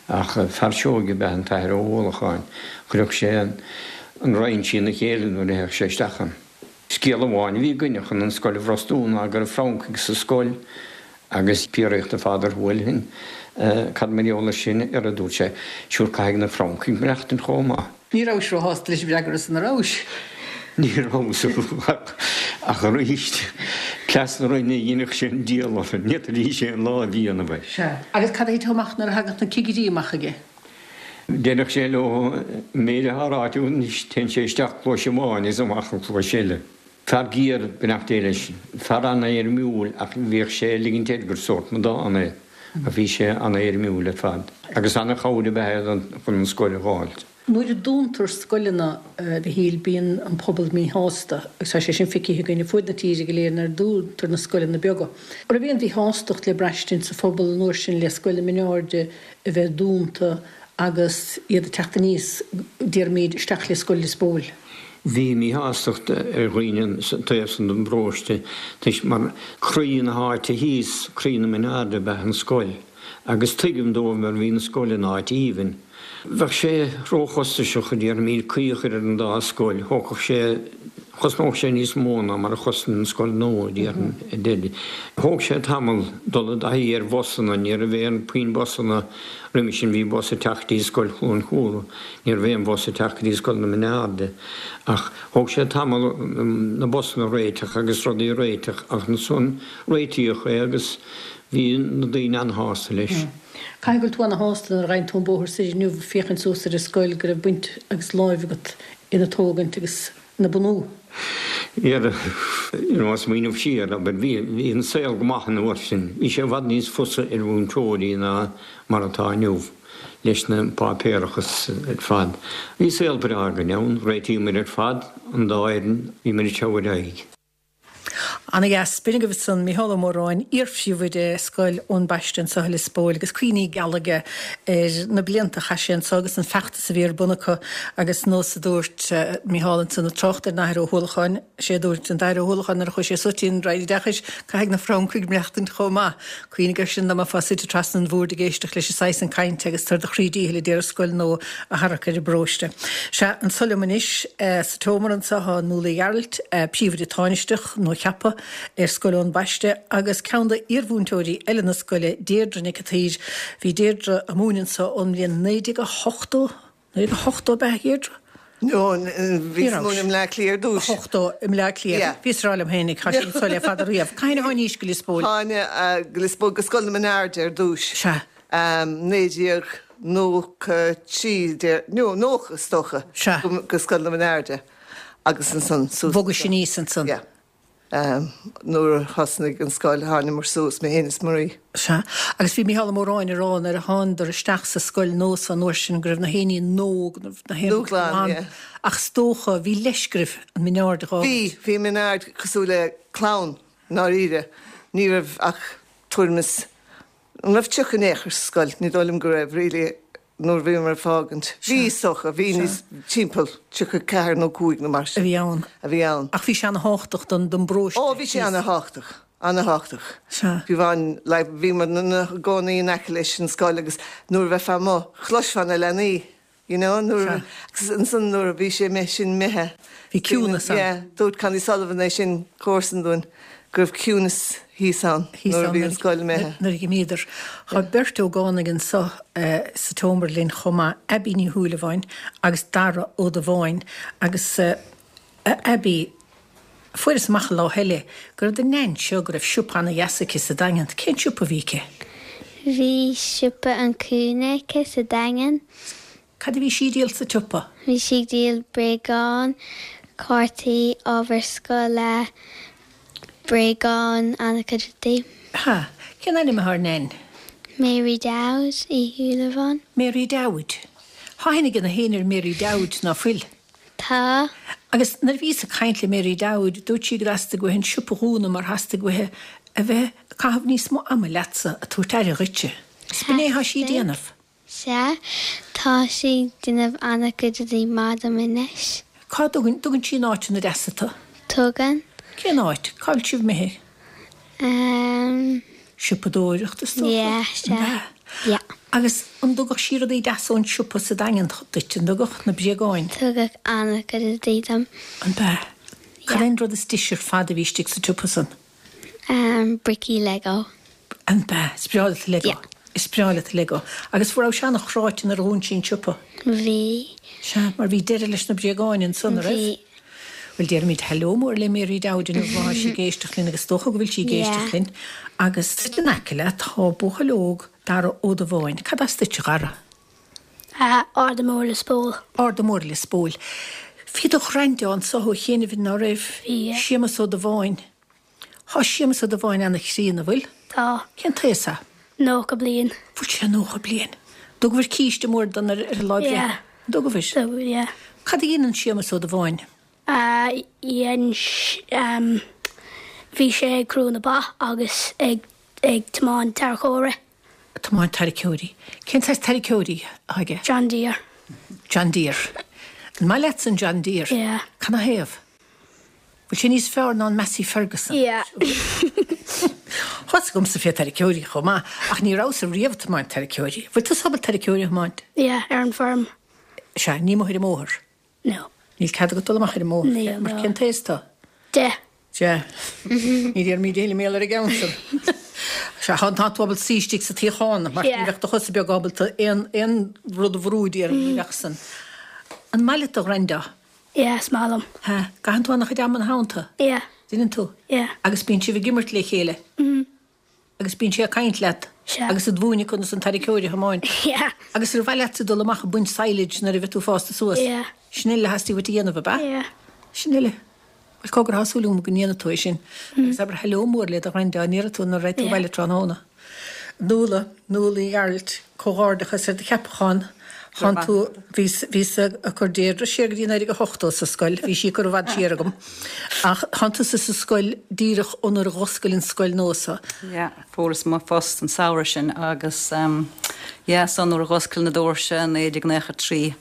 ach fear seoigh ab ea an tAthair Ó hUallacháin. Chuirfeadh sé an Roinn trína chéile nuair a théadh sé isteach ann. Scéal amháin a bhí againne chun an scoil a bhrostú ná go raibh Francaigh sa scoil agus fiafraíodh de Father Houlihan cad mar gheall air sin, ar a dúirt sé, Sure caithfidh na Francaigh maireachtaint chomh maith. Ní rabhais róshásta leis an bhfreagra san, an rabhais? Ní rabhas ach arís, cleas na Roinne a dheineadh sé an diabhal orainn, ní fhéadfaidís aon lá a dhéanamh air. Sea. Agus cad a thiteadh amach nuair a thagadh na cigirí amach aige? Deireadh sé leo, an méid atá ráite agat anois, téann sé isteach cluais amháin is amach an chluais eile. Fear géar, beannacht Dé leis, fear an-éirimiúil ach bhíodh sé ag ligint air gur sórt amadán é ach bhí sé an-éirimiúil ar fad agus an-chabhair ab ea é chun an scoil a dh'fháilt. Nuair a dúntar scoileanna, a Mhichíl, bíonn an pobal míshásta agus tá sé sin feicthe againn ar fuaid na tíre go léir nuair a dúntar na scoileanna beaga. An raibh aon mhíshástacht le braistint sa phobal an uair sin le Scoil na Mioneairde a bheith dúnta agus iad ag teacht aníos, déarfaimid, isteach le Scoil Lios Póil? Bhí míshástacht ar dhaoine sa taobh san den bparóiste toisc mar croí na háite thíos, croí na Mioneairde ab ea an scoil agus tuigim dóibh mar bhí an scoil in áit aoibhinn. Bheadh sé róchostasach, a déarfaimid, caoi a chur ar an dá scoil. Thógfadh sé, chosnódh sé níos mó ná mar a chosnaíonn an scoil nua, a déarfainn. Thóg sé tamall dul i dtaithí ar bhusanna, ní raibh aon puinn busanna roimhe sin, bhí bus ag teacht go dtí Scoil Chluain Chumhra, ní raibh aon bhus ag teacht go dtí Scoil na Mioneairde. Ach thóg sé tamall na busanna a réiteach agus rudaí a réiteach ach ansan réitíodh é agus bhí na daoine an-shásta leis. Caithfidh go bhfuil tú ana-shásta nuair a ghabhann tú an bóthar soir inniu ag féachaint suas ar an scoil go raibh baint agus láimh agat ina tógaint agus ina bunú. Yeah, you know, smaoineamh siar, abair, bhí, bhí an saol go maith an uair sin. Bhí sé i bhfad níos fusa ar mhúinteoirí ná mar atá inniu leis na páipéarachas ar fad. Bhí saol breá againn ann, réitíomar ar fad, an dá fhoireann, bhíomar ag treabhadh ar aghaidh. Ana dheas. B'in agaibh ansan Mícheál Ó Móráin, iar-phríomhoide Scoil Eoin Baiste anseo i Lios Póil agus cuimhní geala aige ar na blianta a chaith sé anseo agus an feachtas a bhí ar bun acu agus nós a dúirt Mícheál ansan ag trácht ar an Athair Ó hUallacháin, sé a dúirt an tAthair Ó hUallacháin nuair a chuaigh sé suas dtí an Roinn Oideachais, caithfidh na Francaigh maireachtaint chomh maith. Cuimhnigh air sin dá mbeifeá suite trasna an bhoird ag éisteacht leis an saghas san cainte agus tú ar do chroí díchill ag iarraidh scoil nua a tharrac ar an bparóiste. Sea, anso liom anois sa tseomra anseo tá Nuala Uí Ghearailt, Príomhoide Tánaisteach, nuacheaptha ar Scoil Eoin Baiste agus ceann d'iarmhúinteoirí eile na scoile, Deirdre Nic an tSaoir. Bhí Deirdre ag múineadh anso ón mbliain naoi déag a hochtó, naoi déag a hochtó ab ea, a Dheirdre? No, bhíos ag múineadh i mBleá Cliath ar dtús. Ochtó i mBleá Cliath. Yeah. Bhíos ag rá liom féinig, tá sí anso le fada riamh. Cathain a tháinís go Lios Póil? Tháinig go Lios Póil, go Scoil na Mioneairde ar dtús. Sea. Naoi déag nócha trí, no, nócha is dócha. Sea. Go Scoil na Mioneairde agus ansan suas. Bhogais aníos ansan. Yeah. Nuair a thosnaigh an scoil thánamar suas, mé féin is Marie. Sea. Agus bhí Mícheál Ó Móráin ag rá nuair a thánadar isteach sa scoil nua san uair sin go raibh na héinní nua, go raibh na héinní Dúshlán, glan. yeah. Ach is dócha, bhí leisce oraibh an Mioneaird a dh'fhágaint. Bhí, bhí an Mioneaird cosúil le clann, i ndáiríre. Ní raibh ach tuairim is, an raibh tríocha in aon chor sa scoil? Ní dóigh liom go raibh, really. nuair a bhíomar ag fágaint. Bhí, is dócha, bhí níos, timpeall tríocha ceathair nó cúig nó mar sin. A bhí ann. A bhí ann. Ach bhí sé ana-thábhachtach don, don bparóiste. Ó, bhí sé ana-thábhachtach, ana-thábhachtach. Sea. Bhí bhain, like, bhíomar ina gcónaí in aice leis an scoil agus nuair a bheifeá amuigh, chloisfeá na leanaí, you know, nuair a, Sea. agus ansan nuair a bhí sé imithe, sin imithe. Bhí ciúnas ann. Yeah, dúirt Connie Sullivan é sin, comharsan dúinn, go raibh ciúnas thíos ann nuair a bhí an scoil imithe. Nuair a dh'imíodar. Tá beirt ógánaigh anso sa tseomra linn chomh maith, Abbie Ní Shúilleabháin agus Dara Ó Dubháin. Agus a Abbie, fuaireas amach an lá eile go raibh do Neain seo, go raibh siopa ana-dheas aici sa Daingean. Cén siopa a bhí aici? Bhí siopa an Cúinne aici sa Daingean. Cad a bhí sí ag díol sa tsiopa? Bhí sí ag díol bréagáin, cártaí, ábhar scoile, bréagáin, an-chuid rudaí. Ha. Cén ainm atá ar Nain? Mary Dowd Uí Shúilleabháin. Mary Dowd. Tá aithne ag na héinne ar Mary Dowd, ná fuil? Tá. Agus nuair a bhíos ag caint le Mary Dowd, dúirt sí go dteastaigh uaithi an siopa a dhúnadh mar theastaigh uaithi a bheith ag caitheamh níos mó ama leatsa, ag tabhairt aire dhuitse. Is b'in é atá sí ag déanamh. Sea, tá sí ag déanamh an-chuid rudaí maith dom anois. Cá dtugann, dtugann sí in áiteanna deasa tú? Tugann. Cén áit? Cá bhfuil sibh imithe? Ehm, Siopadóireacht is dócha? Yeah, sea. Yeah. Agus an dtugadh sí rudaí deasa ón siopa sa Daingean duit, an dtugadh na bréagáin? Tugadh an-chuid rudaí dom. An b'ea? Cad é an rud is deise ar fad a bhí istigh sa tsiopa san? Um, bricí Lego. An b'ea? Is breá leat Lego? Yeah. Is breá leat Lego. Agus an raibh sé an-chráite nuair a dhún sí an siopa? Bhí. Sea, mar bhí deireadh leis na bréagáin ansan, an raibh? Bhí. Bhuel, déarfaimid hello mór le Mary Dowd inniu má tá sí ag éisteacht linn agus is dócha go bhfuil sí ag éisteacht linn. Agus in aice leat tá buachaill óg, Dara Ó Dubháin. Cad as duit, a Dhara? Ard an Mhóir Lios Póil. Ard an Mhóir Lios Póil. Bhí do ghraindea anso ó chianaibh, ná raibh? Bhí. Séamus Ó Dubháin. Tá Séamus Ó Dubháin ana-chríonna, an bhfuil? Tá. Cén t-aos é? Nócha bliain. Bhfuil sé nócha bliain? Dtugabhair císte mór dó ar a lá breithe? Yeah. Dtugabhair? Dtugabhair, yeah. Cad a dhéanann Séamus Ó Dubháin? Dhein, bhí sé ag crú na ba agus ag ag tiomáint tarracóirí. Tiomáint tarracóirí. Cén saghas tarracóirí atá aige? John Deere. John Deere. An maith leatsa an John Deere? Yeah. Canathaobh? Bhfuil sé níos fearr ná an Massey Ferguson? Yeah. Tá fhios agamsa fé tarracóirí chomh maith, ach ní rabhas-sa riamh ag tiomáint tarracóirí. Bhfuil tusa ábalta tarracóirí a thiomáint? Yeah, ar an bhfeirm. Sea, ní amuigh ar an mbóthar? No. Níl cead agat dul amach ar an mbóthar? Níl, Mar no. cén t-aos tú? Deich. Deich. Ní déarfaimid a thuilleadh mar gheall ar an gceann san. Sea, tá tá tú ábalta suí istigh sa tsuíochán, mar ní Yeah. bheadh do chosa beaga ábalta aon aon rud a bhrú déarfainn, ní bheadh san. An maith leat do ghraindea? Yeah, is maith liom. Ha, gcaitheann tú an-chuid ama ina theannta? Yeah. Déanann tú? Yeah. Agus bíonn sibh ag imirt le chéile? Mm. Agus bíonn sé ag caint leat? Sea. Agus ag múineadh conas an tarracóir a thiomáint? Yeah. Agus ar mhaith leatsa dul amach ag baint silage nuair a bheidh tú fásta suas? Yeah. Sin uile a theastaigh uait a dhéanamh, ab ea? Yeah. Sin uile. Bhuel, cogar, tá súil agam go ndéanfaidh tú é sin. Agus abair hello mór le do ghraindea, an ndéarfaidh tú nuair a raghaidh tú Yeah. abhaile tráthnóna. Nuala, Nuala Uí Ghearailt, comhghairdeachas ar do cheapachán. Thánn tú, bhíos, bhíos ag cur Deirdre siar go dtí naoi déag a hochtó sa scoil, bhí sí ag cur i bhfad siar agam. Ach thánn tusa sa scoil díreach ó nuair a dh'oscail an scoil nua so. Yeah, fuaireas mo phost an samhradh sin agus um, yeah, so nuair a dh'oscail na doirse naoi déag naocha trí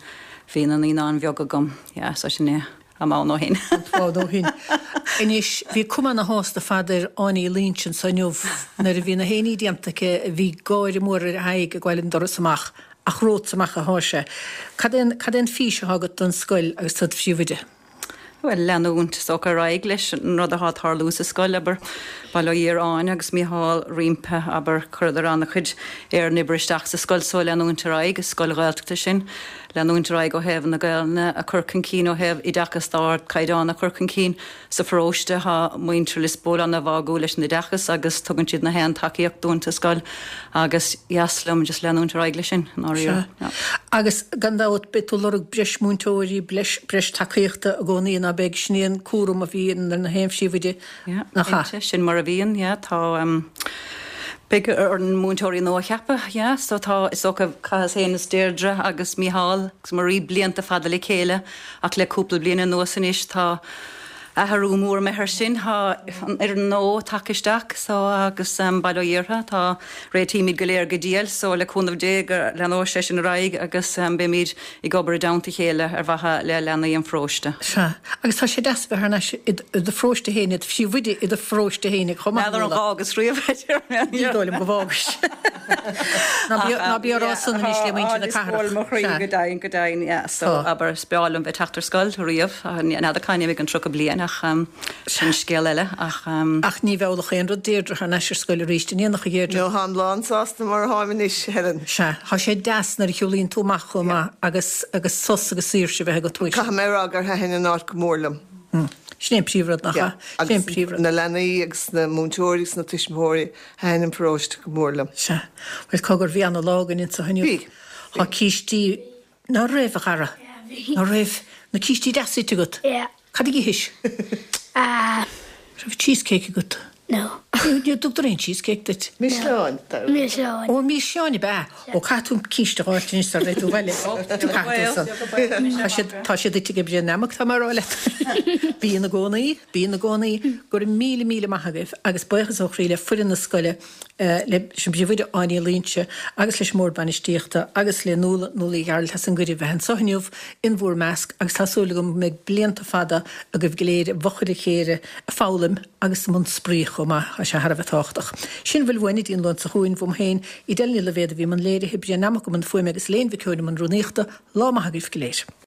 bhí na naíonáin bheaga agam. Yeah, so sin é am ann ó shin. Fad ó shin. Anois, bhí cuma ana-shásta fad ar Áine Uí Loinsigh anso inniu nuair a bhí na héiní déanta aici, bhí gáire mór ar a haghaidh ag gabháil an doras amach. Ach romhat amach atá sé. Cad é an, cad é an fís atá agat don scoil agus tú i do phríomhoide? Bhuel, leanúint is dócha ar aghaidh leis an rud atá ag tarlú sa scoil, abair, bail ó Dhia ar Áine agus Mícheál roimpi, abair, chuireadar an-chuid ar an obair isteach sa scoil so leanúint ar aghaidh, is scoil Ghaeltachta sinn, leanúint ar aghaidh ó thaobh na Gaelainne a chur chun cinn, ó thaobh oideachas d'ardchaighdeán a chur chun cinn sa pharóiste. Tá muintir Lios Póil an-bháúil leis an oideachas agus tugann siad na haon tacaíocht dúinn sa scoil agus dheas liom just leanúint ar aghaidh leis sin, i ndáiríre. Sea. Agus gan dabht beidh tú ag lorg breis múinteoirí, breis, breis tacaíochta i gcónaí, ná beidh? Sin é an cúram a bhíonn ar na haon phríomhoide, Yeah, nach ea? cinnte, sin mar a bhíonn, yeah, tá, um, beidh orainn múinteoirí nua a cheapadh, yeah, so tá, is dócha, chaitheas féin is Deirdre agus Mícheál agus Marie blianta fada le chéile ach le cúpla bliain anuas anois tá athrú mór imithe air sin, tá an fhoireann nua tagtha isteach so agus um, bail ó Dhia orthu, tá réitímid go léir go diail so le cúnamh Dé go leanóidh sé sin ar aghaidh agus um, beimid ag obair i dteannta a chéile ar mhaithe le leanaí an pharóiste. Sea, agus tá sé deas a bheith thar n-ais i do pharóiste féin, i do phríomhoide i do pharóiste féin chomh maith. N'fheadar an bhfágas riamh, a deir mé. Ní dóigh liom go bhfágais. Ná bí, ná bí á rá san anois le muintir na cathrach. Tá mo chroí Sea. go deimhin, go deimhin, yeah. So Tá. abair is breá liom bheith ag teacht ar scoil riamh, n'fheadar cá mbeidh mé i gceann tríocha bliain ach sin scéal eile ach. Ach ní mheallfadh aon rud Deirdre thar n-ais ar scoil arís, an ndéanfadh a Dheirdre? No, táim lán sásta mar atáim anois, Helen. Sea, tá sé deas nuair a shiúlaíonn tú amach chomh maith agus agus sos agus saoirse a bheith agat uait. Caithfidh mé a rá gur thaitin an áit go mór liom. Sin é an príomhrud, nach ea? Sin é an príomhrud. Na leanaí agus na múinteoirí agus na tuismitheoirí, thaitin an paróiste go mór liom. Sea. Bhuel, cogar, bhí ana-lá againn anseo inniu. Bhí. Tá cístí, ná raibh, a chara? Ná raibh? Na cístí deasa ite agat? Yeah. Cad a dh'ithis? Ah. Raibh cheesecake agat? No. Ní dtugtar aon cheesecake duit? Milseáin. Milseáin. Ó, milseáin ab ea? Ó, caithfidh tú císte a dh'fháilt anois sara raghaidh tú abhaile. Caithfidh tú san. Tá siad, tá siad ite ag Brian Nammock, tá mé a rá leat. Bíonn i gcónaí, bíonn i gcónaí. Go raibh míle míle maith agaibh agus buíochas ó chroí le foireann na scoile, leis an bPríomhoide Áine Uí Loingsigh agus leis an mBord Bainistíochta agus le Nuala, Nuala Uí Ghearailt as an gcuireadh bheith anseo inniu in bhur measc agus tá súil agam go mbeidh blianta fada agaibh go léir i bhfochair a chéile ag foghlaim agus i mbun spraoi chomh chomh maith, tá sé thar a bheith tábhachtach. Sin a bhfuil uainn go dtí an Luan seo chugainn, uaim féin, Edel Ní Loibhéad a bhí i mbun léirithe, Brian Nammock i mbun fuaime agus Elaine Mhic Eoin i mbun rúnaíochta, lá maith agaibh go léir.